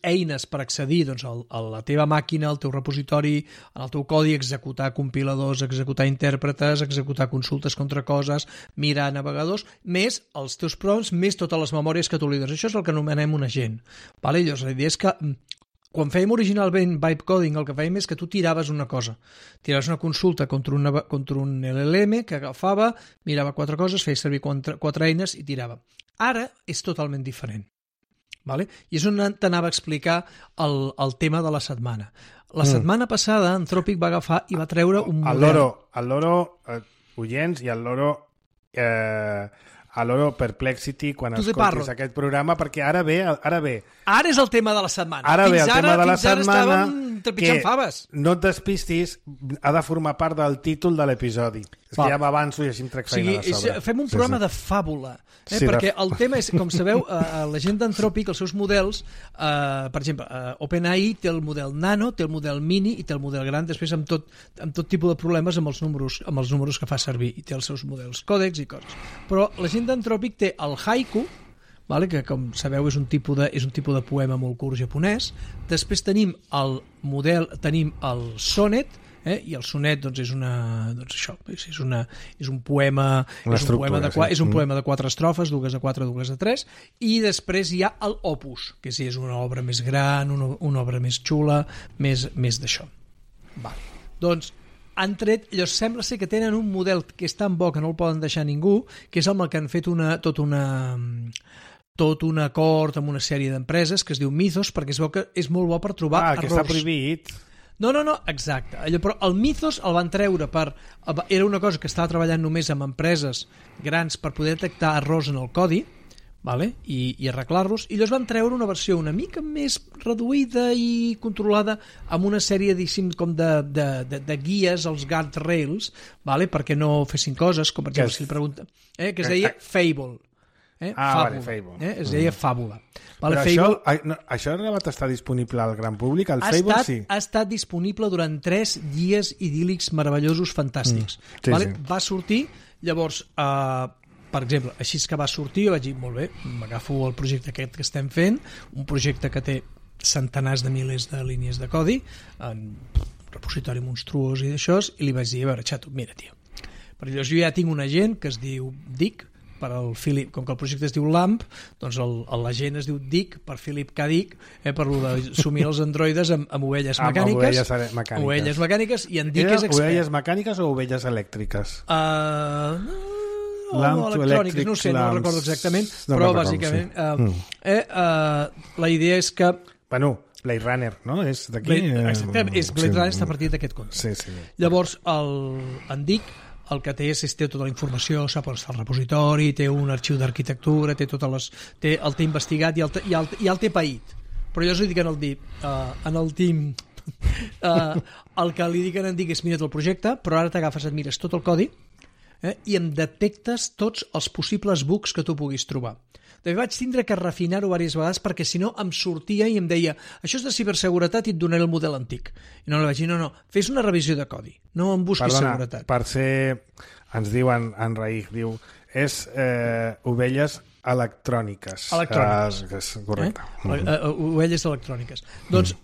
eines per accedir a la teva màquina, al teu repositori, al teu codi, executar compiladors, executar intèrpretes, executar consultes contra coses, mirar navegadors, més els teus prompts, més totes les memòries que tu li dones. Això és el que anomenem un agent. Vale? Llavors, la idea és que quan fèiem originalment vibe coding, el que fèiem és que tu tiraves una cosa. Tiraves una consulta contra un LLM que agafava, mirava 4 coses, feia servir 4 eines i tirava. Ara és totalment diferent. Vale? I és on t'anava a explicar el tema de la setmana. La setmana passada Anthropic va agafar i va treure un model... El loro oients i el loro Perplexity quan escoltis aquest programa, perquè ara ve... Ara és el tema de la setmana. Ara ve el tema de la setmana que faves. No et despistis, ha de formar part del títol de l'episodi. És que ja m'avanço i així em trec feina de sobre. Fem un programa de fàbula, perquè el tema és, com sabeu, la gent d'Anthropic, els seus models, per exemple, OpenAI té el model nano, té el model mini i té el model gran, després amb tot tipus de problemes amb els números que fa servir, i té els seus models còdecs i coses. Però la gent d'Anthropic té el haiku, vale? Que com sabeu és un tipus de poema molt curt japonès. Després tenim el sonnet, i el sonnet és un poema de 4 estrofes, dues a 4, dues a 3, i després hi ha el opus, que és una obra més gran, una obra més xula, més d'això. Vale. Doncs han tret, sembla ser que tenen un model que és tan bo que no el poden deixar ningú, que és amb el que han fet tot un acord amb una sèrie d'empreses que es diu Mythos, perquè es veu que és molt bo per trobar errors. Que està prohibit. No, exacte. Però el Mythos el van treure era una cosa que estava treballant només amb empreses grans per poder detectar errors en el codi, vale? I arreglar-los, i llavors van treure una versió una mica més reduïda i controlada amb una sèrie, diguéssim, com de guies, els guardrails, vale? Perquè no fessin coses, com per exemple, si li pregunta, que es deia Fable. Vale, Fable. Es deia Fàbula. Vale, però això ha arribat a estar disponible al gran públic? El Fable sí. Ha estat disponible durant 3 dies idíl·lics, meravellosos, fantàstics. Sí, vale? sí. Va sortir, llavors, per exemple, així que va sortir, vaig dir, molt bé, m'agafo el projecte aquest que estem fent, un projecte que té centenars de milers de línies de codi, en repositori monstruós i d'això, i li vaig dir, a veure, xato, mira, tio, perquè llavors jo ja tinc un agent que es diu Dick, per al Philip, com que el projecte es diu LAMP, doncs l'agent es diu Dick per Philip K. Dick, per d'assumir els androides amb ovelles mecàniques. Ovelles mecàniques, i en Dick és expert. Ovelles mecàniques o ovelles elèctriques? Elèctriques, no sé, no recordo exactament, però bàsicament la idea és que... Bueno, Blade Runner, no? És d'aquí... Exacte, Blade Runner està a partir d'aquest conte. Sí. Llavors, en Dick, el que té és té tota la informació, sap on està el repositori, té un arxiu d'arquitectura, té el té investigat i el té paït. Però jo us dic en el team el que li dic en Dick és mira't el projecte, però ara t'agafes, et mires tot el codi i em detectes tots els possibles bugs que tu puguis trobar. També vaig tindre que refinar-ho diverses vegades perquè si no em sortia i em deia això és de ciberseguretat i et donaré el model antic. I no li vaig dir, no, fes una revisió de codi, no em busquis seguretat. Per ser, ens diuen en Raig, diu, és ovelles electròniques. Electròniques. Correcte. Ovelles electròniques. Doncs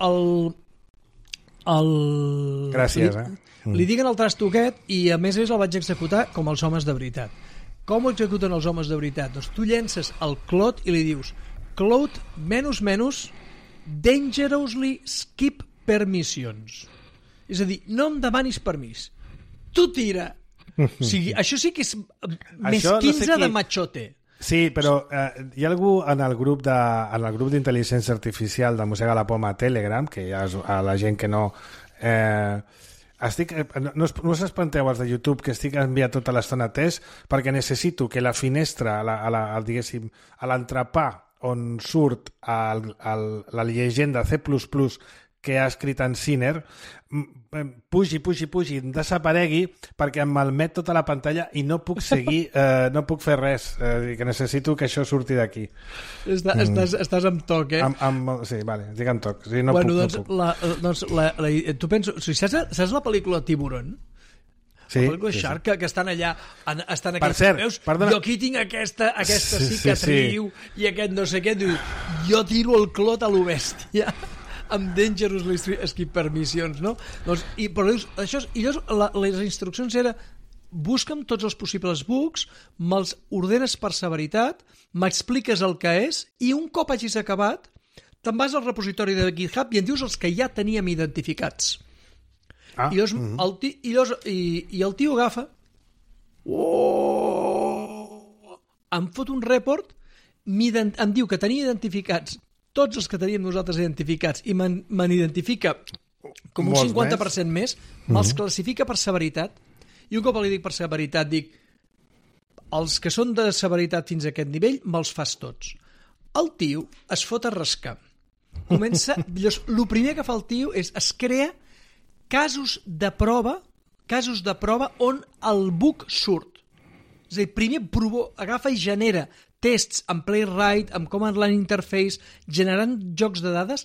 Gràcies, li diguen el trasto aquest i a més el vaig executar com els homes de veritat. Com ho executen els homes de veritat? Doncs tu llences el Claude i li dius Claude, dangerously skip permissions. És a dir, no em demanis permís. Tu tira. O sigui, això sí que és més 15 de machote. Sí, però hi ha algú en el grup d'intel·ligència artificial de Mossega la Poma a Telegram, que hi ha a la gent que no... no us espanteu els de YouTube que estic enviant tota l'estona test perquè necessito que la finestra diguéssim, a l'entrepà on surt la llegenda C++ que ha escrit en Sinner pugi, desaparegui perquè em malmet tota la pantalla i no puc seguir, no puc fer res, que necessito que això surti d'aquí. Estàs amb toc, sí, vale, estic amb toc. Sí, tu penso, saps la pel·lícula Tiburon? Sí, la pel·lícula Shark, que estan allà per cert, veus? Jo aquí tinc aquesta cicatriu i aquest no sé què, diu, jo tiro el clot a lo bèstia amb dangerously skip permissions, no? Doncs, però dius, les instruccions era busca'm tots els possibles bugs, me'ls ordenes per severitat, m'expliques el que és i un cop hagis acabat te'n vas al repositori de GitHub i em dius els que ja teníem identificats. I el tio agafa em fot un report, em diu que tenia identificats tots els que teníem nosaltres identificats i me'n identifica com un 50% més, me'ls classifica per severitat i un cop li dic per severitat dic els que són de severitat fins a aquest nivell me'ls fas tots. El tio es fot a rascar. El primer que fa el tio és es crea casos de prova on el bug surt. És a dir, primer agafa i genera tests amb Playwright, amb Command Line Interface, generant jocs de dades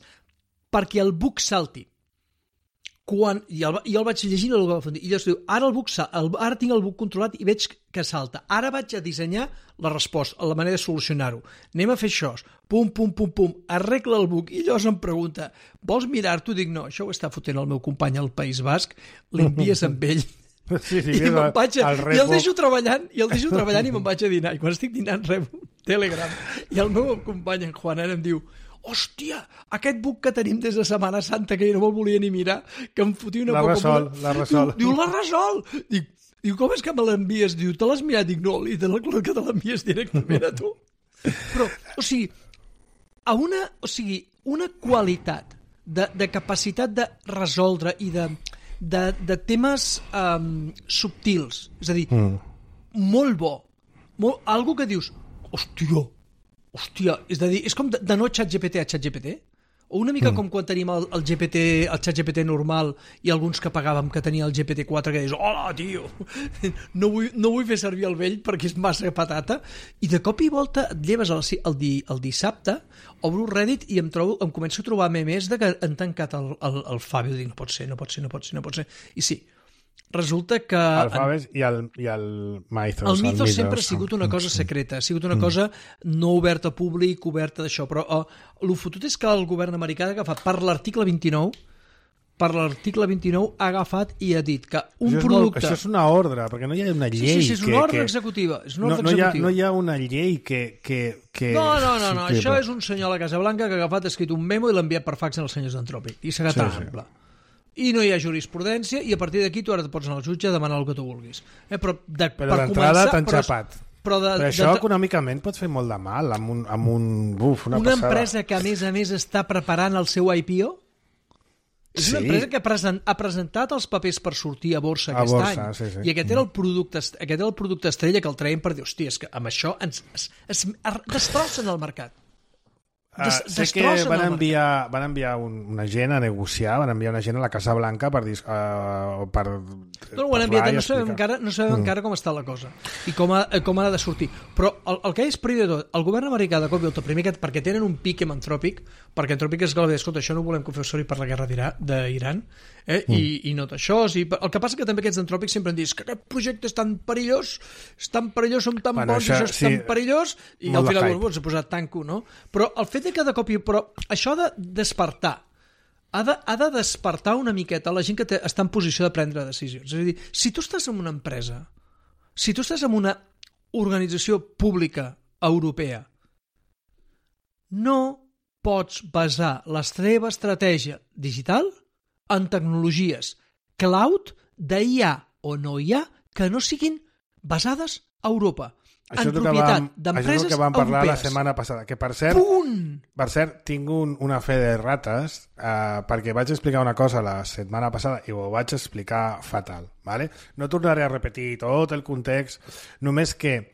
perquè el bug salti. I el vaig llegint i llavors diu, ara tinc el bug controlat i veig que salta. Ara vaig a dissenyar la resposta, la manera de solucionar-ho. Anem a fer això. Pum, arregla el bug. I llavors em pregunta, vols mirar-t'ho? Dic, no, això ho està fotent el meu company al País Basc, l'envies amb ell. Sí, i el deixo treballant i me'n vaig a dinar i quan estic dinant rebo Telegram i el meu company en Juan em diu hòstia, aquest bug que tenim des de Setmana Santa que jo no me'l volia ni mirar que em fotia una poca... L'ha resol. Diu, l'ha resol! Diu, com és que me l'envies? Diu, te l'has mirat? Dic, no, li dono clar que te l'envies directament a tu. Però, una qualitat de capacitat de resoldre i de temes subtils, és a dir, molt bo, algo que dius, hòstia, Hòstia, és a dir, és com de no ChatGPT a ChatGPT? O una mica com quan tenim el ChatGPT normal i alguns que pagàvem que tenia el GPT-4 que deies, hola, tio, no vull fer servir el vell perquè és massa patata, i de cop i volta et lleves el dissabte, obro Reddit i em començo a trobar memes de que han tancat el Fabio, dic, no pot ser. I sí, resulta que... El Faves i el Mythos. El Mythos sempre ha sigut una cosa secreta, ha sigut una cosa no oberta al públic, oberta d'això, però el fotut és que el govern americà ha agafat per l'article 29, ha agafat i ha dit que un producte... Això és una ordre, perquè no hi ha una llei... Sí, és una ordre executiva. No hi ha una llei que... No, això és un senyor a la Casa Blanca que ha agafat, ha escrit un memo i l'ha enviat per fax als senyors d'Antròpic, i s'ha agarrat ample. I no hi ha jurisprudència, i a partir d'aquí tu ara et pots anar al jutge a demanar el que tu vulguis. Però d'entrada t'han xapat. Però això econòmicament pot fer molt de mal amb una empresa que a més està preparant el seu IPO? És una empresa que ha presentat els papers per sortir a borsa aquest any. Sí. I aquest era el producte estrella que el traiem per dir, hòstia, és que amb això es destrossen el mercat. Sé que van enviar una gent a negociar, van enviar una gent a la Casa Blanca per no ho han enviat, no sabem encara com està la cosa i com ha de sortir, però el que és primer de tot, el govern americà de cop i volta, primer perquè tenen un pic amb Antròpic, perquè Antròpic és que escolta, això no ho volem que feu servir per la guerra d'Iran, i no d'això, el que passa que també aquests d'Antròpic sempre han dit que aquest projecte és tan perillós, som tan bons, això és tan perillós, i al final s'ha posat tanco, no? Però el fet de cop i... Però això ha de despertar. Ha de despertar una miqueta la gent que està en posició de prendre decisions. És a dir, si tu estàs en una empresa, si tu estàs en una organització pública europea, no pots basar la teva estratègia digital en tecnologies cloud d'IA o no IA que no siguin basades a Europa. Això és el que vam parlar la setmana passada, que per cert tinc una fe de rates perquè vaig explicar una cosa la setmana passada i ho vaig explicar fatal, ¿vale? No tornaré a repetir tot el context, només que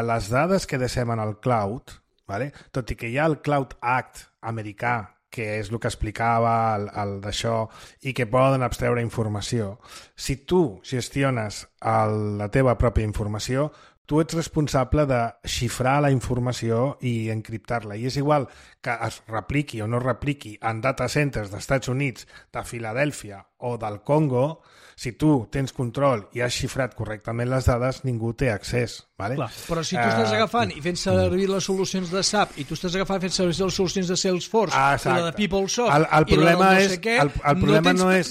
les dades que deixem en el cloud, ¿vale? Tot i que hi ha el Cloud Act americà, que és el que explicava el d'això, i que poden abstreure informació, si tu gestiones la teva pròpia informació, tu ets responsable de xifrar la informació i encriptar-la. I és igual que es repliqui o no es repliqui en data centers dels Estats Units, de Filadèlfia o del Congo, si tu tens control i has xifrat correctament les dades, ningú té accés. ¿Vale? Clar, però si tu estàs agafant i fent servir les solucions de SAP i tu estàs agafant i fent servir les solucions de Salesforce i la de PeopleSoft i la de no sé què,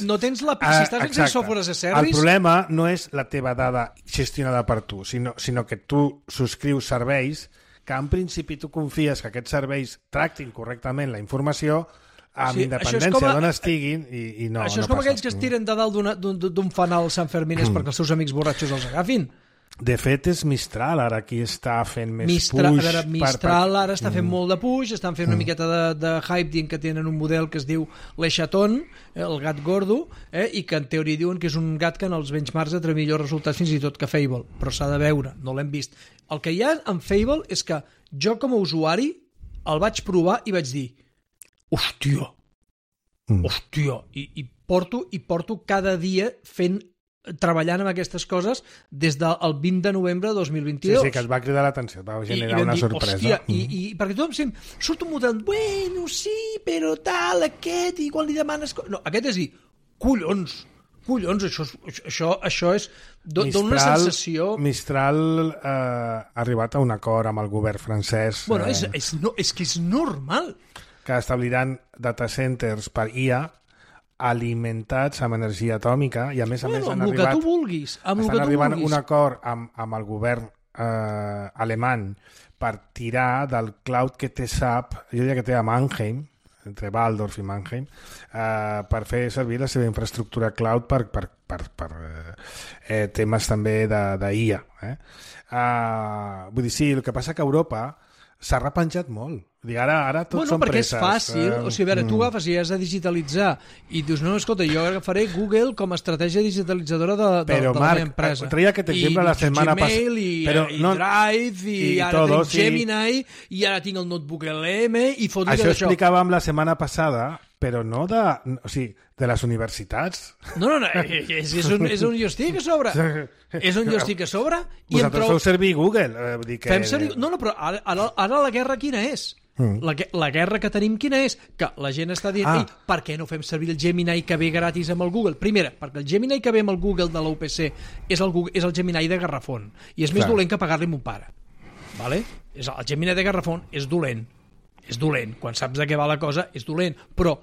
no tens la... Si estàs fent software as a service... El problema no és la teva dada gestionada per tu, sinó que tu subscrius serveis que en principi tu confies que aquests serveis tractin correctament la informació amb independència d'on estiguin i no. Això és com aquells que es tiren de dalt d'un fanal Sant Fermines perquè els seus amics borratxos els agafin. De fet, és Mistral ara qui està fent més push. Mistral ara està fent molt de push, estan fent una miqueta de hype dient que tenen un model que es diu l'Eixaton, el gat gordo, i que en teoria diuen que és un gat que en els benchmarks ha tret millors resultats fins i tot que Fable, però s'ha de veure, no l'hem vist. El que hi ha en Fable és que jo com a usuari el vaig provar i vaig dir hòstia, i porto cada dia treballant amb aquestes coses des del 20 de novembre de 2022. Sí, que es va cridar l'atenció, va generar una sorpresa. Hòstia, i perquè tothom surt un model, bueno, sí, però tal, aquest, i quan li demanes... No, aquest és dir, collons, això és... Dona una sensació... Mistral ha arribat a un acord amb el govern francès... Bueno, és que és normal. Que establiran data centers per IA alimentats amb energia atòmica i a més han arribat un acord amb el govern alemany per tirar del cloud que té SAP, jo diria que té a Mannheim, entre Waldorf i Mannheim, per fer servir la seva infraestructura cloud per temes també d'IA. Vull dir, sí, el que passa que Europa s'ha repenjat molt. Ara tot són perquè presses. És fàcil, o sigui, a veure, tu agafes i has de digitalitzar i dius, no, escolta, jo agafaré Google com a estratègia digitalitzadora de la meva empresa. Però Marc, treia aquest exemple la setmana passada. I Drive, i ara tinc Gemini, i ara tinc el notebook LM, i fot-li això explicàvem la setmana passada, però no de les universitats. No, és on jo estic a sobre. És on jo estic a sobre. Vosaltres feu servir Google. Fem servir... No, però ara la guerra quina és? La guerra que tenim quina és? Que la gent està dient, per què no fem servir el Gemini que ve gratis amb el Google? Primera, perquè el Gemini que ve amb el Google de la UPC és el Gemini de Garrafón, i és més dolent que pagar-li a mon pare. Vale? El Gemini de Garrafón és dolent. És dolent. Quan saps de què va la cosa, és dolent. Però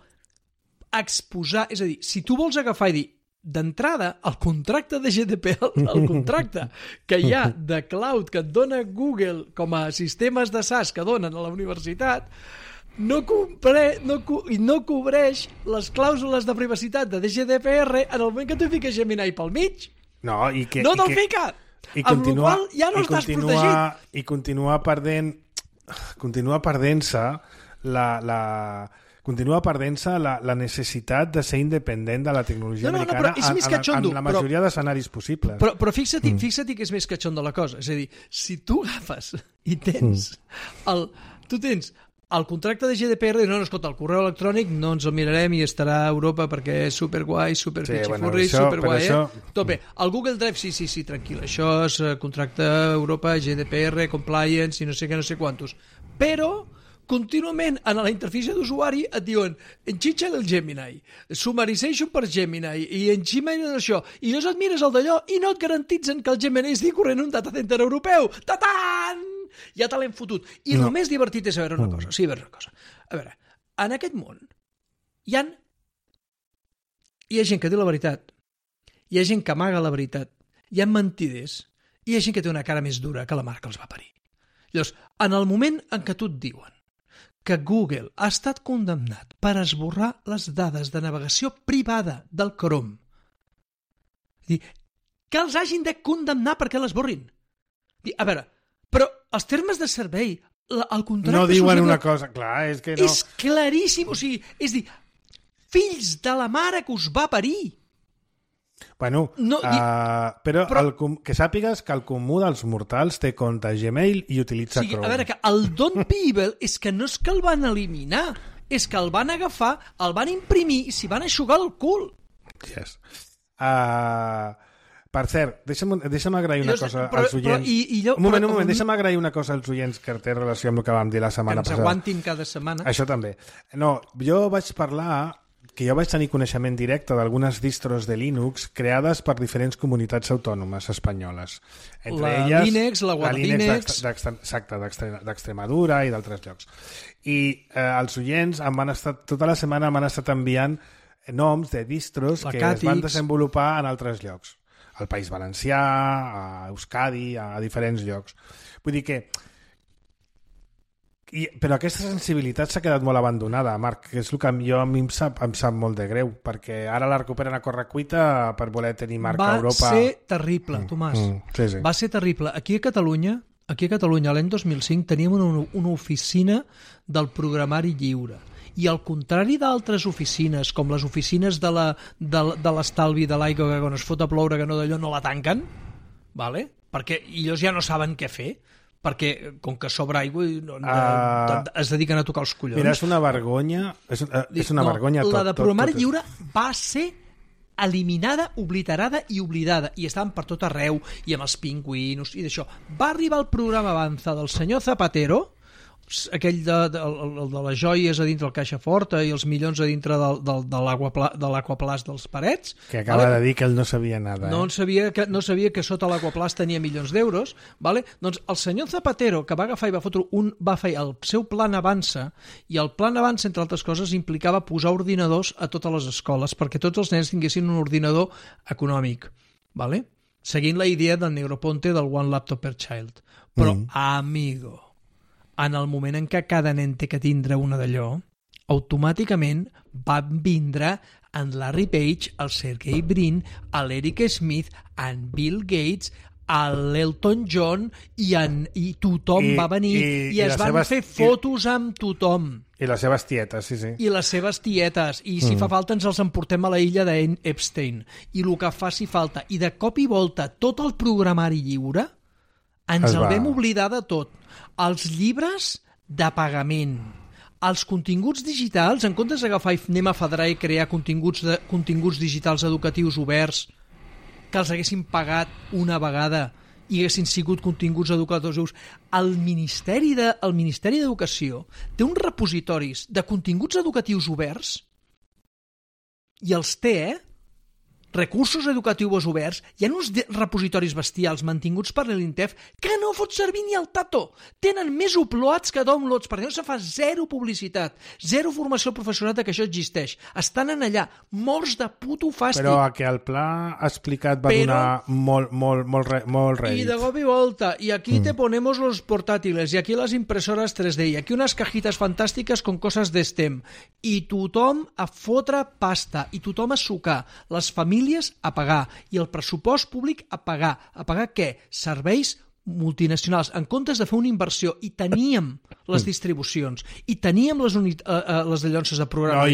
exposar... És a dir, si tu vols agafar i dir d'entrada, el contracte de GDPR, el contracte que hi ha de cloud que et dona Google com a sistemes de SaaS que donen a la universitat, no cobreix les clàusules de privacitat de GDPR en el moment que tu fiques Gemini pel mig. No te'l fica! Amb la qual ja no estàs protegit. I continua perdent-se la necessitat de ser independent de la tecnologia americana en la majoria d'escenaris possibles. Però fixa't que és més catxon de la cosa. És a dir, si tu agafes i tens el contracte de GDPR, no, escolta, el correu electrònic no ens el mirarem i estarà a Europa perquè és superguai, superpitxifurri, superguai, Tope. El Google Drive, sí, tranquil, això és contracte Europa, GDPR, compliance i no sé què, no sé quantos. Però contínuament en la interfície d'usuari et diuen enxitxa el Gemini, summarization per Gemini i enxitxa això, i llavors et mires el d'allò i no et garantitzen que el Gemini estigui corrent un data center europeu. Ta-tan! Ja te l'hem fotut. I el més divertit és saber una cosa. Sí, una cosa. A veure, en aquest món hi ha gent que diu la veritat, hi ha gent que amaga la veritat, hi ha mentiders, i hi ha gent que té una cara més dura que la mar que els va parir. Llavors, en el moment en què tu et diuen que Google ha estat condemnat per esborrar les dades de navegació privada del Chrome, que els hagin de condemnar perquè l'esborrin. A veure, però els termes de servei, el contracte... No diuen una cosa, clar, és que no... És claríssim, o sigui, és dir, fills de la mare que us va parir. Bueno, però que sàpigues que el comú dels mortals té compte Gmail i utilitza Chrome. A veure, que el Don People és que no és que el van eliminar, és que el van agafar, el van imprimir i s'hi van eixugar el cul. Yes. Per cert, deixa'm agrair una cosa als oients. Un moment, deixa'm agrair una cosa als oients que té relació amb el que vam dir la setmana passada. Que ens aguantin cada setmana. Això també. No, jo vaig tenir coneixement directe d'algunes distros de Linux creades per diferents comunitats autònomes espanyoles. Entre elles, Linux, la Guadalínix... Exacte, d'Extremadura i d'altres llocs. I els oients tota la setmana m'han estat enviant noms de distros que es van desenvolupar en altres llocs. Al País Valencià, a Euskadi, a diferents llocs. Vull dir que... Però aquesta sensibilitat s'ha quedat molt abandonada, Marc, que és el que a mi em sap molt de greu, perquè ara la recuperen a correcuita per voler tenir marca a Europa. Va ser terrible, Tomàs. Sí. Va ser terrible. Aquí a Catalunya, l'any 2005, teníem una oficina del programari lliure. I al contrari d'altres oficines, com les oficines de l'estalvi de l'aigua, que quan es fot a ploure que no d'allò no la tanquen, vale? Perquè ells ja no saben què fer, perquè com que sobra aigua es dediquen a tocar els collons. Mira, és una vergonya, vergonya tot. La de programari lliure va ser eliminada, obliterada i oblidada, i estaven per tot arreu, i amb els pingüinos i d'això. Va arribar el programa Avanza del senyor Zapatero, aquell de les joies a dintre del caixa forta i els milions a dintre de l'aquaplast dels parets. Que acaba de dir que ell no sabia nada. No sabia que sota l'aquaplast tenia milions d'euros. Vale? Doncs el senyor Zapatero, que va agafar i va fer el seu plan Avança, i el plan Avança, entre altres coses, implicava posar ordinadors a totes les escoles perquè tots els nens tinguessin un ordinador econòmic. Vale? Seguint la idea del Negroponte del One Laptop per Child. Però, amigo, en el moment en què cada nen té que tindre una d'allò, automàticament van vindre en Larry Page, el Sergey Brin, l'Eric Smith, en Bill Gates, l'Elton John i tothom va venir i es van fer fotos amb tothom. I les seves tietes, sí. I les seves tietes. I si fa falta ens els emportem a la illa d'Epstein. I el que faci falta. I de cop i volta tot el programari lliure ens el vam oblidar de tot. Els llibres de pagament, els continguts digitals, en comptes d'agafar i anem a federar i crear continguts digitals educatius oberts que els haguessin pagat una vegada i haguessin sigut continguts educatius. El Ministeri d'Educació té uns repositoris de continguts educatius oberts i els té, recursos educatius oberts. Hi ha uns repositoris bestials mantinguts per l'INTEF que no fot servir ni el tato. Tenen més uploads que downloads, perquè no se fa zero publicitat, zero formació al professorat que això existeix. Estan en allà, morts de puto fàstic. Però que el pla explicat va donar molt rèdit. I de cop i volta, i aquí te ponemos los portátiles, i aquí les impresores 3D, i aquí unes cajitas fantàstiques con coses d'STEM. I tothom a fotre pasta, i tothom a sucar. Les famílies a pagar i el pressupost públic a pagar. A pagar què? Serveis multinacionals, en comptes de fer una inversió. I teníem les distribucions, i teníem les llonces de programa,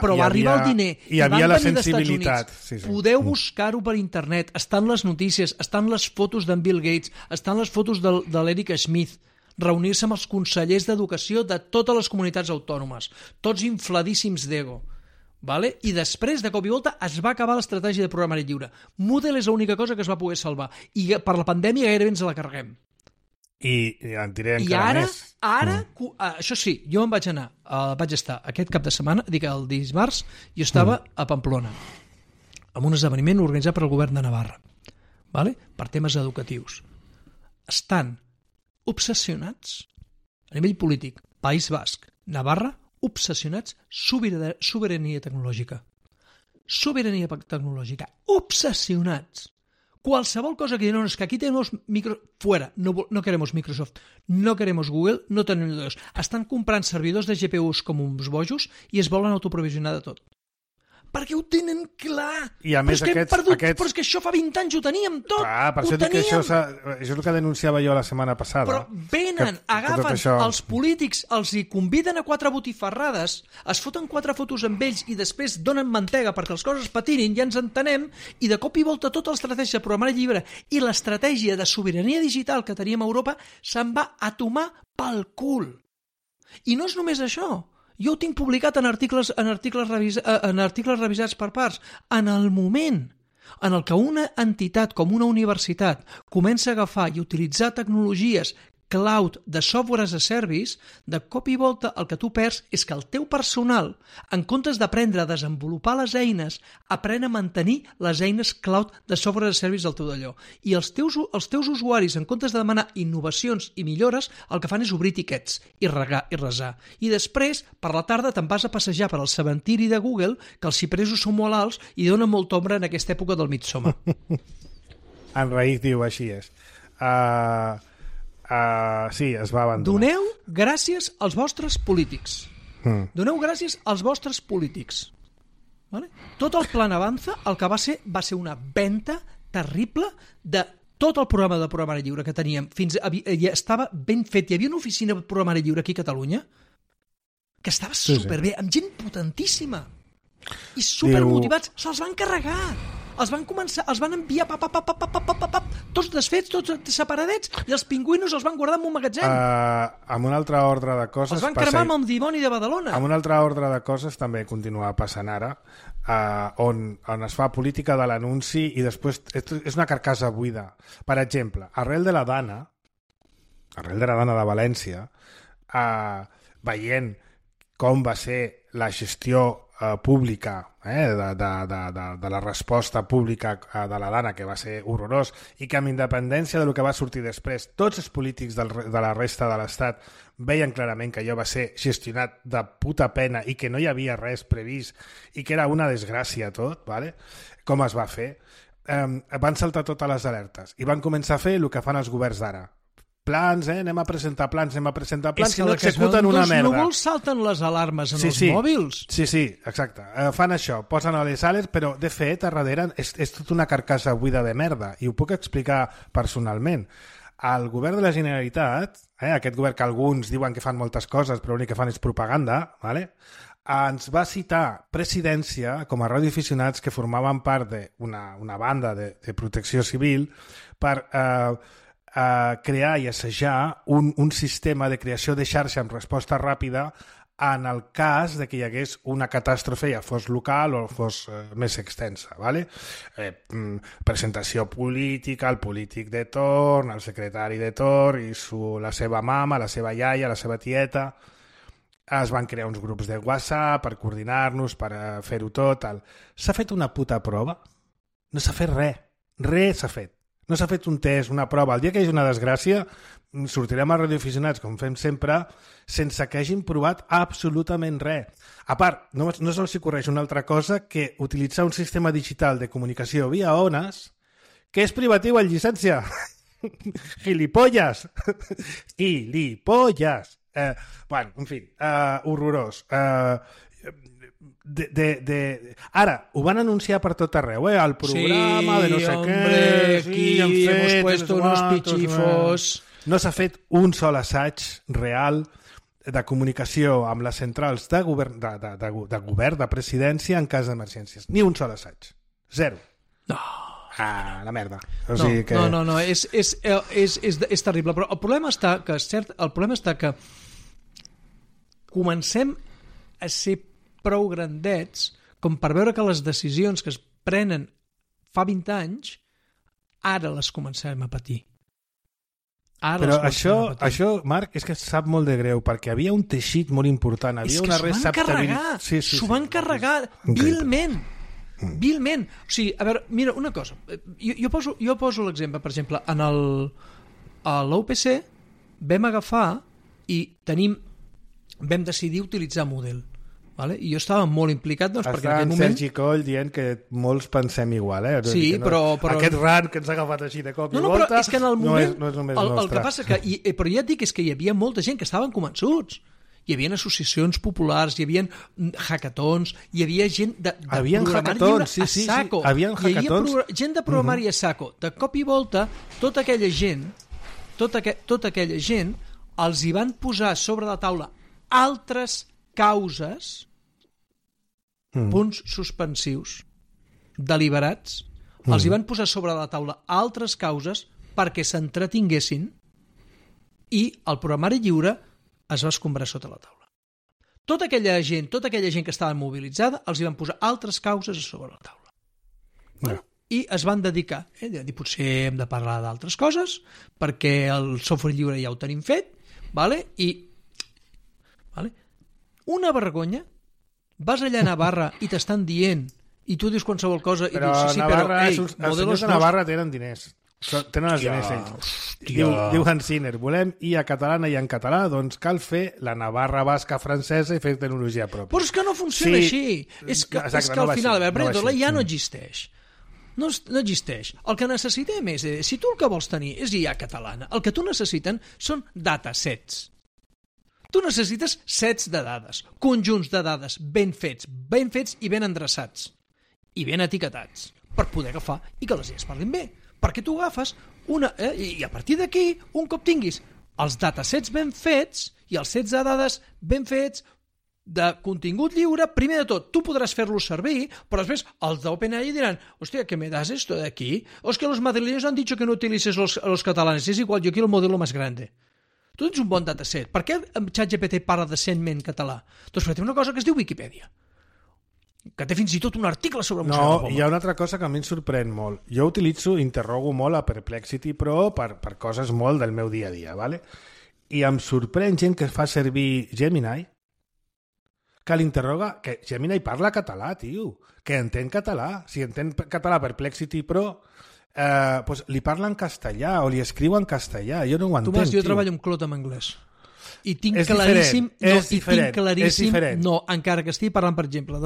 però va arribar el diner, i havia la sensibilitat. Sí. Podeu buscar-ho per internet, estan les notícies, estan les fotos d'en Bill Gates, estan les fotos de l'Eric Schmidt, reunir-se amb els consellers d'educació de totes les comunitats autònomes, tots infladíssims d'ego. Vale? I després, de cop i volta, es va acabar l'estratègia de programari lliure. Moodle és l'única cosa que es va poder salvar. I per la pandèmia gairebé ens la carreguem. I en diré encara més. Això sí, jo em vaig anar, vaig estar aquest cap de setmana, el dimarts, jo estava a Pamplona, amb un esdeveniment organitzat per el govern de Navarra, vale? Per temes educatius. Estan obsessionats, a nivell polític, País Basc, Navarra, obsessionats, sobirania tecnològica. Sobirania tecnològica. Obsessionats. Qualsevol cosa que diuen, és que aquí tenemos fuera, no queremos Microsoft, no queremos Google, no tenim dos. Estan comprant servidors de GPUs com uns bojos i es volen autoprovisionar de tot. Perquè ho tenen clar. I a més però és que això fa 20 anys ho teníem tot. Clar, per això dic que això és el que denunciava jo la setmana passada. Però venen, agafen els polítics, els hi conviden a 4 botifarrades, es foten 4 fotos amb ells i després donen mantega perquè les coses patinin, ja ens entenem, i de cop i volta tota l'estratègia de programari lliure i l'estratègia de sobirania digital que teníem a Europa se'n va a tomar pel cul. I no és només això. Jo ho tinc publicat en articles revisats per parts. En el moment en el que una entitat com una universitat comença a agafar i utilitzar tecnologies cloud de software as a service, de cop i volta el que tu perds és que el teu personal, en comptes d'aprendre a desenvolupar les eines, aprèn a mantenir les eines cloud de software as a service del teu d'allò. I els teus usuaris, en comptes de demanar innovacions i millores, el que fan és obrir tiquets i resar. I després, per la tarda, te'n vas a passejar per al cementiri de Google, que els cipresos són molt alts i donen molta ombra en aquesta època del Midsommar. En Raïf diu, així és. Sí, es va abandonar. Doneu gràcies als vostres polítics. Doneu gràcies als vostres polítics. Vale? Tot el Plan Avanza el que va ser una venda terrible de tot el programa de programari lliure que teníem. Ja estava ben fet. Hi havia una oficina de programari lliure aquí a Catalunya que estava superbé, amb gent potentíssima i supermotivats. Se'ls van carregar. Els van enviar tots desfets, tots separadets, i els pingüinos els van guardar en un magatzem. Amb un altre ordre de coses... Els van cremar amb el dimoni de Badalona. Amb un altre ordre de coses també continua passant ara, on es fa política de l'anunci i després és una carcassa buida. Per exemple, Arrel de la Dana de València, veient com va ser la gestió pública de la resposta pública de la Dana, que va ser horrorós, i que amb independència del que va sortir després, tots els polítics de la resta de l'Estat veien clarament que allò va ser gestionat de puta pena i que no hi havia res previst i que era una desgràcia tot, ¿vale? Com es va fer, van saltar totes les alertes i van començar a fer el que fan els governs d'ara, plans, anem a presentar plans, i no executen una merda. Els núvols salten les alarmes en els mòbils. Sí, exacte. Fan això, posen a les ales, però de fet, a darrere és tota una carcassa buida de merda, i ho puc explicar personalment. El govern de la Generalitat, aquest govern que alguns diuen que fan moltes coses, però l'únic que fan és propaganda, ¿vale? Ens va citar Presidència com a radioaficionats que formaven part d'una banda de protecció civil per crear i assajar un sistema de creació de xarxa amb resposta ràpida en el cas de que hi hagués una catàstrofe, ja fos local o fos més extensa. ¿Vale? Presentació política, el polític de torn, el secretari de torn, i la seva mama, la seva iaia, la seva tieta. Es van crear uns grups de WhatsApp per coordinar-nos, per fer-ho tot. S'ha fet una puta prova? No s'ha fet res. Res s'ha fet. No s'ha fet un test, una prova. El dia que hi hagi una desgràcia, sortirem a radioaficionats, com fem sempre, sense que hagin provat absolutament res. A part, no se'ls ocorreix una altra cosa que utilitzar un sistema digital de comunicació via ones que és privatiu en llicència. Gilipolles! Gilipolles! Bueno, en fi, horrorós. Ara, ho van anunciar per tot arreu, el programa de no sé què... Sí, aquí hemos puesto unos pichifos... No s'ha fet un sol assaig real de comunicació amb les centrals de govern, de presidència en cas d'emergències. Ni un sol assaig. Zero. No. La merda. No, és terrible. Però el problema està que comencem a ser prou grandets com per veure que les decisions que es prenen fa 20 anys ara les comencem a patir. Però això, Marc, és que sap molt de greu, perquè havia un teixit molt important, havia una receptabilitat... S'ho van carregar vilment. Vilment. O sigui, a veure, mira, una cosa. Jo poso l'exemple, per exemple, a l'UPC vam agafar i vam decidir utilitzar Moodle. Vale? I jo estava molt implicat, doncs, perquè en aquell moment... Sergi Coll dient que molts pensem igual, Sí, però... Aquest rant que ens ha agafat així de cop i volta... No, però és que en el moment... No és només nostre. El que passa que... Però ja et dic, és que hi havia molta gent que estaven convençuts. Hi havia associacions populars, hi havia hackathons, hi havia gent de programari lliure a saco. Hi havia gent de programari a saco. De cop i volta, tota aquella gent els hi van posar sobre la taula altres causes, punts suspensius, deliberats, els hi van posar sobre la taula altres causes perquè s'entretinguessin i el programari lliure es va escombrar sota la taula. Tota aquella gent que estava mobilitzada els hi van posar altres causes a sobre la taula. Bueno, i es van dedicar, potser hem de parlar d'altres coses perquè el software lliure ja ho tenim fet, una vergonya. Vas allà a Navarra i t'estan dient i tu dius qualsevol cosa i dius els senyors de Navarra tenen diners. Tenen els diners ells. Diu Hans Sinner, volem ir a catalana i en català, doncs cal fer la Navarra basca francesa i fer tecnologia pròpia. Però és que no funciona així. És que al final, la IA no existeix. No existeix. El que necessitem és, si tu el que vols tenir és IA catalana, el que tu necessiten són datasets. Tu necessites sets de dades, conjunts de dades ben fets i ben endreçats i ben etiquetats per poder agafar i que les idees parlin bé. Perquè tu agafes i a partir d'aquí, un cop tinguis els datasets ben fets i els sets de dades ben fets de contingut lliure, primer de tot, tu podràs fer-los servir, però després els d'OpenAI diran, hòstia, ¿qué me das esto de aquí? O es que los madrileños han dicho que no utilices los catalanes, es igual, yo quiero el modelo más grande. Tu tens un bon dataset. Per què ChatGPT parla decentment català? Doncs perquè té una cosa que es diu Wikipedia, que té fins i tot un article sobre Museu de Roma. Hi ha una altra cosa que a mi em sorprèn molt. Jo interrogo molt a Perplexity Pro per coses molt del meu dia a dia, ¿vale? I em sorprèn gent que fa servir Gemini, que l'interroga, que Gemini parla català, tio, que entén català. Si entén català Perplexity Pro... pues li parla en castellà o li escriu en castellà, jo no ho entenc. Tomàs, jo treballo amb Clot en anglès i tinc claríssim encara que estigui parlant, per exemple,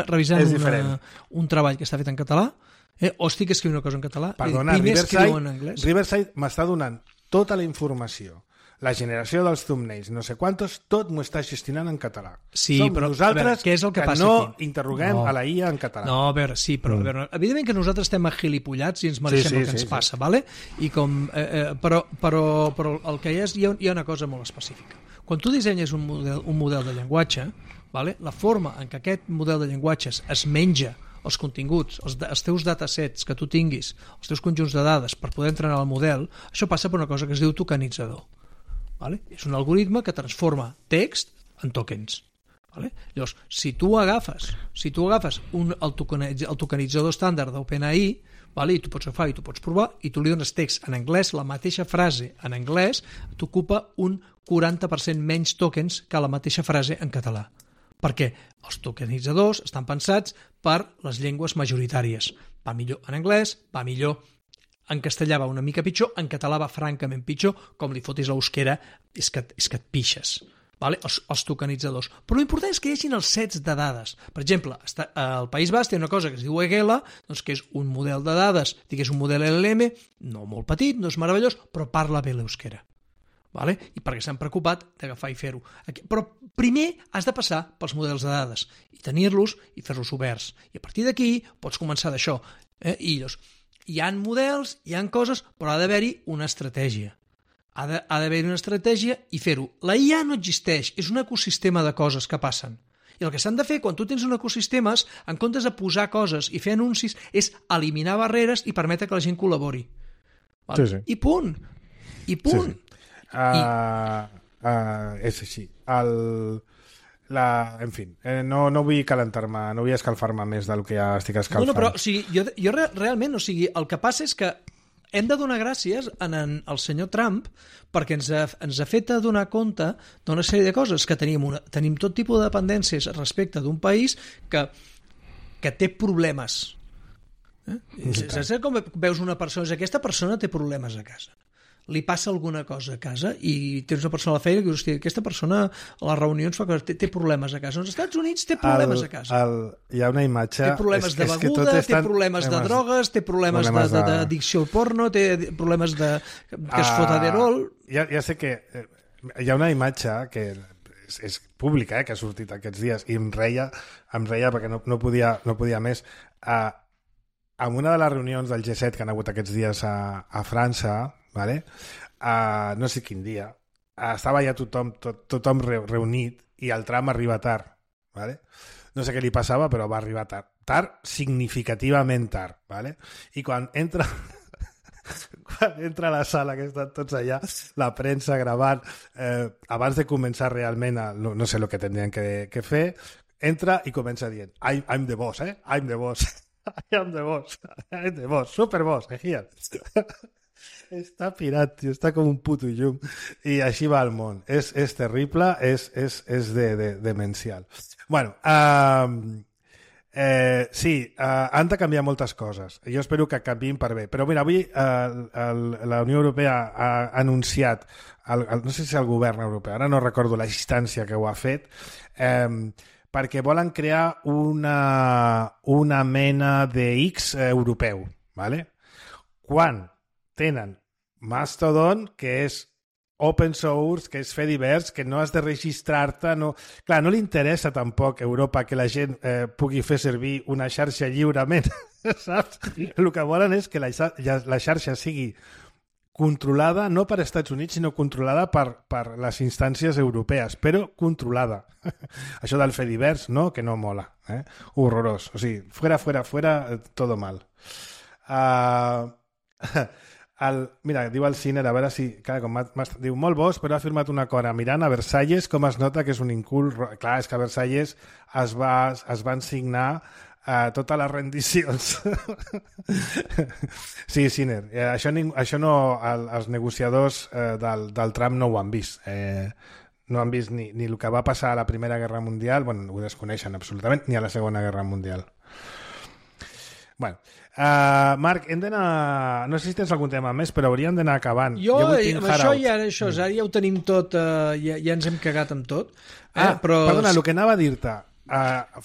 revisant un treball que està fet en català o estic escrivint una cosa en català. Perdona, Riverside m'està donant tota la informació, la generació dels thumbnails, no sé quantos, tot m'ho està gestionant en català. Sí, som però nosaltres veure, què és el que passa no aquí? interroguem a la IA en català. No, a veure, sí, però a veure, evidentment que nosaltres estem agilipollats i ens mereixem el que ens passa, vale? I com, però el que hi ha una cosa molt específica. Quan tu dissenyes un model de llenguatge, vale? La forma en què aquest model de llenguatges es menja els continguts, els teus datasets que tu tinguis, els teus conjunts de dades per poder entrenar el model, això passa per una cosa que es diu tokenitzador. Vale? És un algoritme que transforma text en tokens. Vale? Llavors, si tu agafes el tokenitzador estàndard d'OpenAI, vale? I tu pots agafar i tu pots provar, i tu li dones text en anglès, la mateixa frase en anglès t'ocupa un 40% menys tokens que la mateixa frase en català. Perquè els tokenitzadors estan pensats per les llengües majoritàries. Va millor en anglès, va millor en castellà, va una mica pitjor, en català va francament pitjor, com li fotis a l'euskera, és que et pixes. Vale? Els tokenitzadors. Però l'important és que hi hagi els sets de dades. Per exemple, al País Basc té una cosa que es diu EGELA, doncs que és un model de dades, digués un model LLM, no molt petit, no és meravellós, però parla bé l'euskera. Vale? I perquè s'han preocupat d'agafar i fer-ho. Però primer has de passar pels models de dades i tenir-los i fer-los oberts. I a partir d'aquí pots començar d'això. I llavors, hi ha models, hi ha coses, però ha d'haver-hi una estratègia. Ha d'haver-hi una estratègia i fer-ho. La IA no existeix, és un ecosistema de coses que passen. I el que s'han de fer quan tu tens un ecosistema, en comptes de posar coses i fer anuncis, és eliminar barreres i permetre que la gent col·labori. Vale? Sí. I punt. I punt. Sí. És així. En fi, no vull calentar-me, no vull escalfar-me més del que ja estic escalfant. No, però o sigui, jo realment, o sigui, el que passa és que hem de donar gràcies al senyor Trump perquè ens ha fet donar compte d'una sèrie de coses, que tenim tot tipus de dependències respecte d'un país que té problemes. Saps com veus una persona? Aquesta persona té problemes a casa. Li passa alguna cosa a casa i tens una persona a la feina que dius, hòstia, aquesta persona a les reunions fa que té problemes a casa. Als Estats Units té problemes a casa. Hi ha una imatge... Té problemes de beguda, té problemes de drogues, té problemes d'addicció al porno, té problemes que es fot aderol... Ja sé que hi ha una imatge que és pública, que ha sortit aquests dies i em reia perquè no podia més. En una de les reunions del G7 que han hagut aquests dies a França, vale? No sé quin dia, estava ja tothom reunit i el tram arriba tard. Vale? No sé què li passava, però va arribar tard significativament tard. Vale? I quan entra a la sala, que estan tots allà, la premsa gravant, abans de començar realment no sé el que tindrien que fer, entra i comença dient I'm the boss, I'm the boss. I'm the boss, super boss, here. Està pirat, tio, està com un puto llum. I així va el món. És terrible, és demencial. Bueno, sí, han de canviar moltes coses. Jo espero que canviïn per bé. Però mira, avui la Unió Europea ha anunciat, no sé si el govern europeu, ara no recordo la instància que ho ha fet, perquè volen crear una mena de X europeu, ¿vale? Quan tenen Mastodon, que és open source, que és fer divers, que no has de registrar-te. Clar, no li interessa tampoc a Europa que la gent pugui fer servir una xarxa lliurement, saps? El que volen és que la xarxa sigui controlada no per Estats Units, sinó controlada per les instàncies europees, però controlada. Això del fer divers, no? Que no mola. Horrorós. O sigui, fuera, todo mal. Mira, diu el Ciner, a veure si... Diu, molt bos, però ha firmat un acord mirant a Versalles, com es nota que és un incult... Clar, és que a Versalles es van signar totes les rendicions. Sí, Ciner, això no... Els negociadors del Trump no ho han vist. No han vist ni el que va passar a la Primera Guerra Mundial, bueno, ho desconeixen absolutament, ni a la Segona Guerra Mundial. Bueno, Marc, hem d'anar... No sé si tens algun tema més, però hauríem d'anar acabant. Això ja ho tenim tot, ja ens hem cagat amb tot. Però... Perdona, el que anava a dir-te,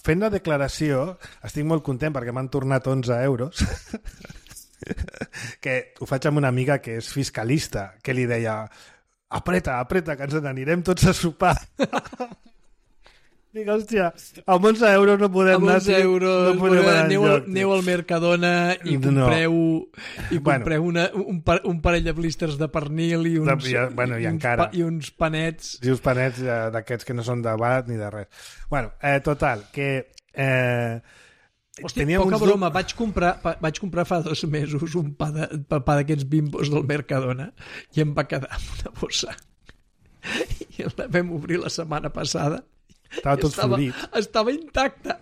fent la declaració, estic molt content perquè m'han tornat 11 euros. que ho faig amb una amiga que és fiscalista, que li deia apreta, que ens n'anirem tots a sopar. Dic, hòstia, amb 11 euros no podem anar. Amb 11 euros no podem anar enlloc. Aneu al Mercadona i compreu un parell de blisters de pernil i uns panets. I uns panets d'aquests que no són de barat ni de res. Bueno, total, que... Hòstia, poca broma, vaig comprar fa 2 mesos un pa d'aquests Bimbos del Mercadona i em va quedar amb una bossa. I la vam obrir la setmana passada. Estava intacta.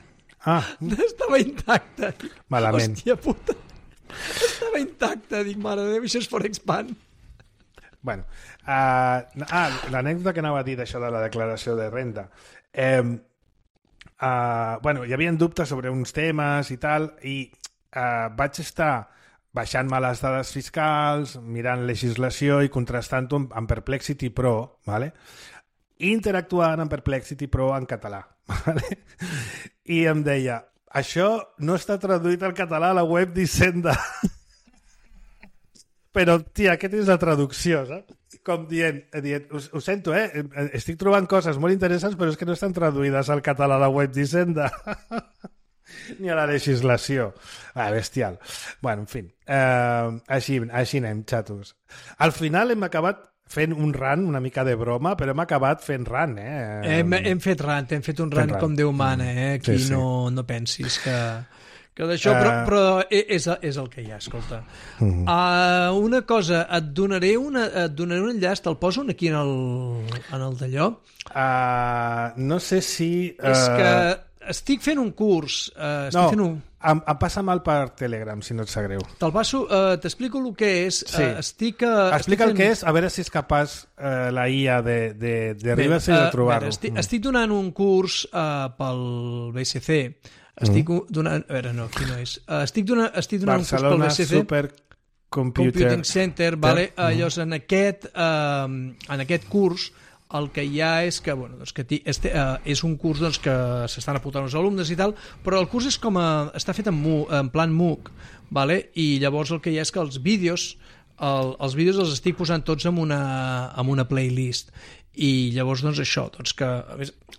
Estava intacta. Malament. Hòstia puta. Estava intacta. Dic, mare de Déu, això és Forexpan. Bueno, l'anècdota que anava a dir d'això de la declaració de renda. Hi havia dubtes sobre uns temes i tal, i vaig estar baixant-me les dades fiscals, mirant legislació i contrastant-ho amb Perplexity Pro, ¿vale? Interactuant amb Perplexity Pro en català. ¿Vale? I em deia, això no està traduït al català a la web d'Hisenda. Però, tia, aquesta és la traducció, saps? Com dient ho sento, estic trobant coses molt interessants, però és que no estan traduïdes al català a la web d'Hisenda. Ni a la legislació. Bestial. Bueno, en fi. Així anem, xatos. Al final hem acabat fent un rant, una mica de broma, però hem acabat fent rant, Hem fet rant, hem fet un rant com Déu mana, Aquí sí. No pensis que d'això, però és el que hi ha, escolta. Una cosa, et donaré un enllaç, te'l poso aquí en el d'allò? No sé si... És que estic fent un curs. Em passa mal per Telegram, si no et sap greu. Te'l passo, t'explico el que és. Sí. Explica el que és, a veure si és capaç la IA de Ribas de trobar-ho. Estic donant un curs pel BSC. Estic donant... A veure, no, aquí no és. Estic donant un curs pel BSC. Barcelona Supercomputing Center, vale? Llavors, en aquest curs el que hi ha és que, és un curs que s'estan apuntant els alumnes i tal, però el curs és està fet en plan MOOC, vale? I llavors el que hi ha és que els vídeos els estic posant tots en una playlist. I llavors, això, que a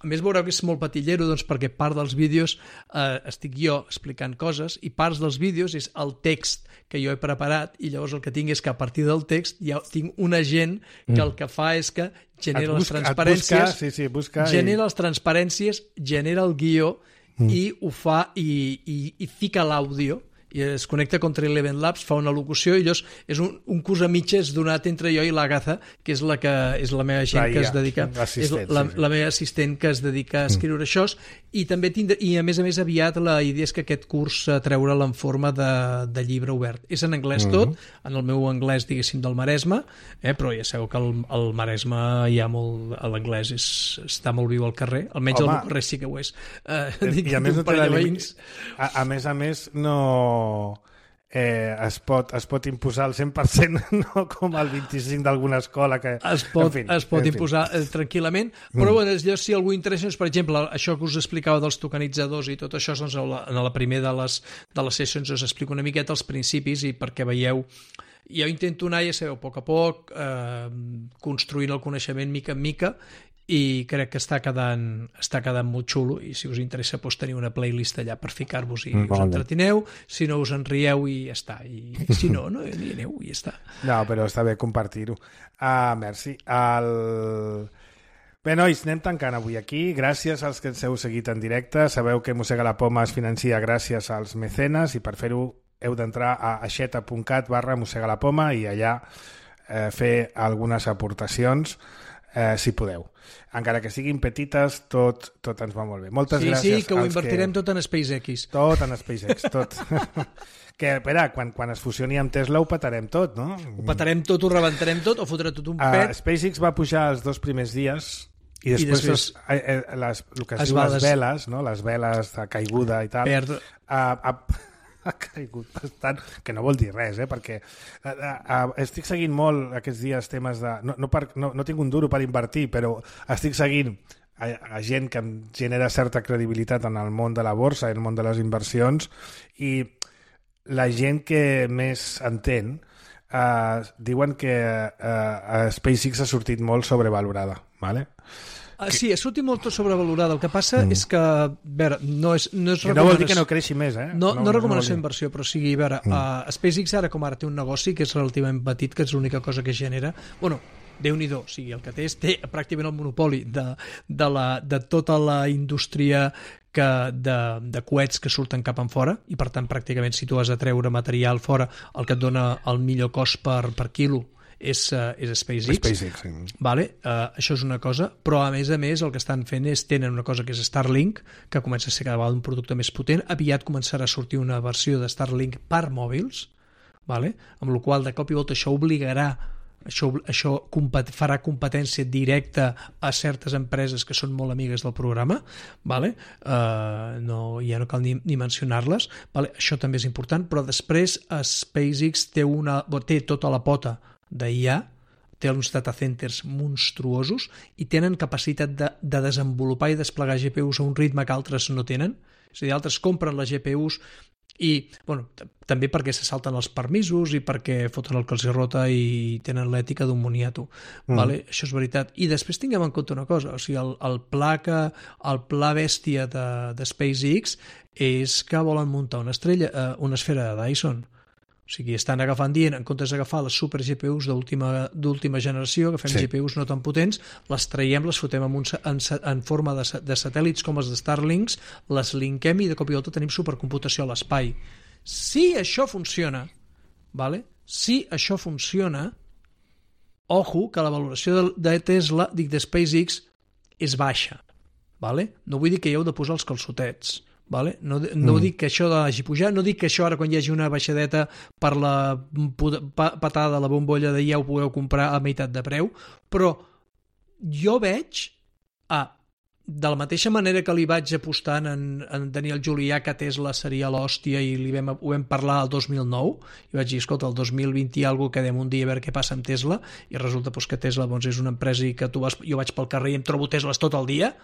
més veureu que és molt patillero, perquè part dels vídeos estic jo explicant coses i parts dels vídeos és el text que jo he preparat, i llavors el que tinc és que a partir del text ja tinc un agent que el que fa és que genera les transparències, genera les transparències, genera el guió i ho fa i fica l'àudio i es connecta contra Eleven Labs, fa una locució i llavors és un curs a mitges donat entre jo i l'Agatha, que és la meva gent que es dedica, és la meva assistent que es dedica a escriure això, i també i a més aviat la idea és que aquest curs treure'l en forma de llibre obert. És en anglès tot, en el meu anglès, diguéssim, del Maresme, però ja sabeu que al Maresme hi ha molt... L'anglès està molt viu al carrer, almenys al meu carrer sí que ho és. I a més no té a més no... es pot imposar al 100%, no com el 25% d'alguna escola que... Es pot imposar tranquil·lament, però si algú interessa, per exemple, això que us explicava dels tokenitzadors i tot això, doncs en la primera de les sessions us explico una miqueta els principis i perquè veieu. Jo intento anar, ja sabeu, a poc construint el coneixement mica en mica, i crec que està quedant molt xulo, i si us interessa tenir una playlist allà per ficar-vos i us entretineu, si no us en rieu i ja està, i si no hi aneu i ja està. No, però està bé compartir-ho. Merci. Bé, nois, anem tancant avui aquí. Gràcies als que ens heu seguit en directe. Sabeu que Mossega la Poma es financia gràcies als mecenes, i per fer-ho heu d'entrar a aixeta.cat/mossegalapoma i allà fer algunes aportacions, si podeu. Encara que siguin petites, tot ens va molt bé. Moltes gràcies. Sí, que ho invertirem tot en SpaceX. Tot en SpaceX, tot. Que, espera, quan es fusioni amb Tesla ho petarem tot, no? Ho petarem tot, ho rebentarem tot, o fotrà tot un pet. SpaceX va pujar els 2 primers dies i després el que es diu les veles, no? Les veles de caiguda i tal, ha caigut bastant, que no vol dir res, perquè estic seguint molt aquests dies temes de... No tinc un duro per invertir, però estic seguint a gent que em genera certa credibilitat en el món de la borsa, en el món de les inversions, i la gent que més entén diuen que SpaceX ha sortit molt sobrevalorada, ¿vale? Sí, ha sortit molt sobrevalorada. El que passa és que, a veure, no és recomanació... No vol dir que no creixi més, No recomanació d'inversió, però sigui, a veure, SpaceX ara com ara té un negoci que és relativament petit, que és l'única cosa que genera... Bueno, Déu-n'hi-do, o sigui, el que té pràcticament el monopoli de tota la indústria de coets que surten cap en fora, i per tant pràcticament si tu has de treure material fora, el que et dona el millor cost per quilo és SpaceX. Sí. Vale? Això és una cosa, però a més el que estan fent és tenen una cosa que és Starlink, que comença a ser cada vegada un producte més potent. Aviat començarà a sortir una versió de Starlink per mòbils, vale? Amb la qual de cop i volta això obligarà, això farà competència directa a certes empreses que són molt amigues del programa, vale? Ja no cal ni mencionar-les, vale? Això també és important, però després SpaceX té tota la pota d'IA, té uns data centers monstruosos i tenen capacitat de desenvolupar i desplegar GPUs a un ritme que altres no tenen. És a dir, altres compren les GPUs i, bueno, també perquè se salten els permisos i perquè foten el que els rota i tenen l'ètica d'un moniato. Vale? Això és veritat. I després tinguem en compte una cosa, o sigui, el pla bèstia de SpaceX és que volen muntar una esfera de Dyson. O sigui, estan dient, en comptes d'agafar les super GPUs d'última generació, que fem GPUs no tan potents, les traiem, les fotem en forma de satèl·lits com els de Starlinks, les linkem i de cop i volta tenim supercomputació a l'espai. Si això funciona, vale? Si això funciona, ojo, que la valoració de Tesla, de SpaceX, és baixa. Vale? No vull dir que hi heu de posar els calçotets. Vale? No dic que això hagi pujat, no dic que això ara quan hi hagi una baixadeta per la patada de la bombolla de ja ho pugueu comprar a meitat de preu, però jo veig de la mateixa manera que li vaig apostar en Daniel Julià que Tesla seria l'hòstia i ho vam parlar el 2009 i vaig dir, escolta, el 2020 i alguna cosa quedem un dia a veure què passa amb Tesla i resulta que Tesla és una empresa i que jo vaig pel carrer i em trobo Tesles tot el dia.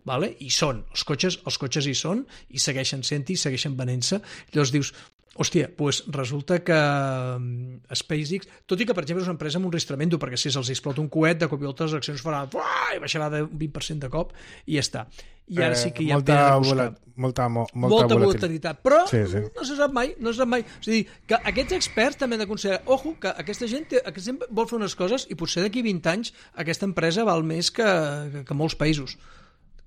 Vale? I són, els cotxes hi són i segueixen sent-hi, segueixen venent-se. Llavors dius, hòstia, doncs resulta que SpaceX, tot i que per exemple és una empresa amb un risc tremendo, perquè si se'ls explota un coet de cop i volta les accions faran i baixarà de 20% de cop i ja està. I ara sí que hi ha molta volatilitat, però no se sap mai, O sigui, que aquests experts també han de considerar, ojo, que aquesta gent vol fer unes coses i potser d'aquí 20 anys aquesta empresa val més que molts països.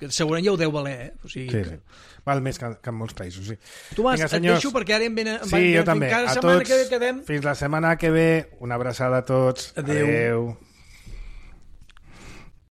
Que segurament ja ho deu valer, O sigui, sí. Val més que en molts països, sí. Tomàs, et deixo perquè ara em venen... Sí, jo també. A tots, fins la setmana que ve. Una abraçada a tots. Adéu.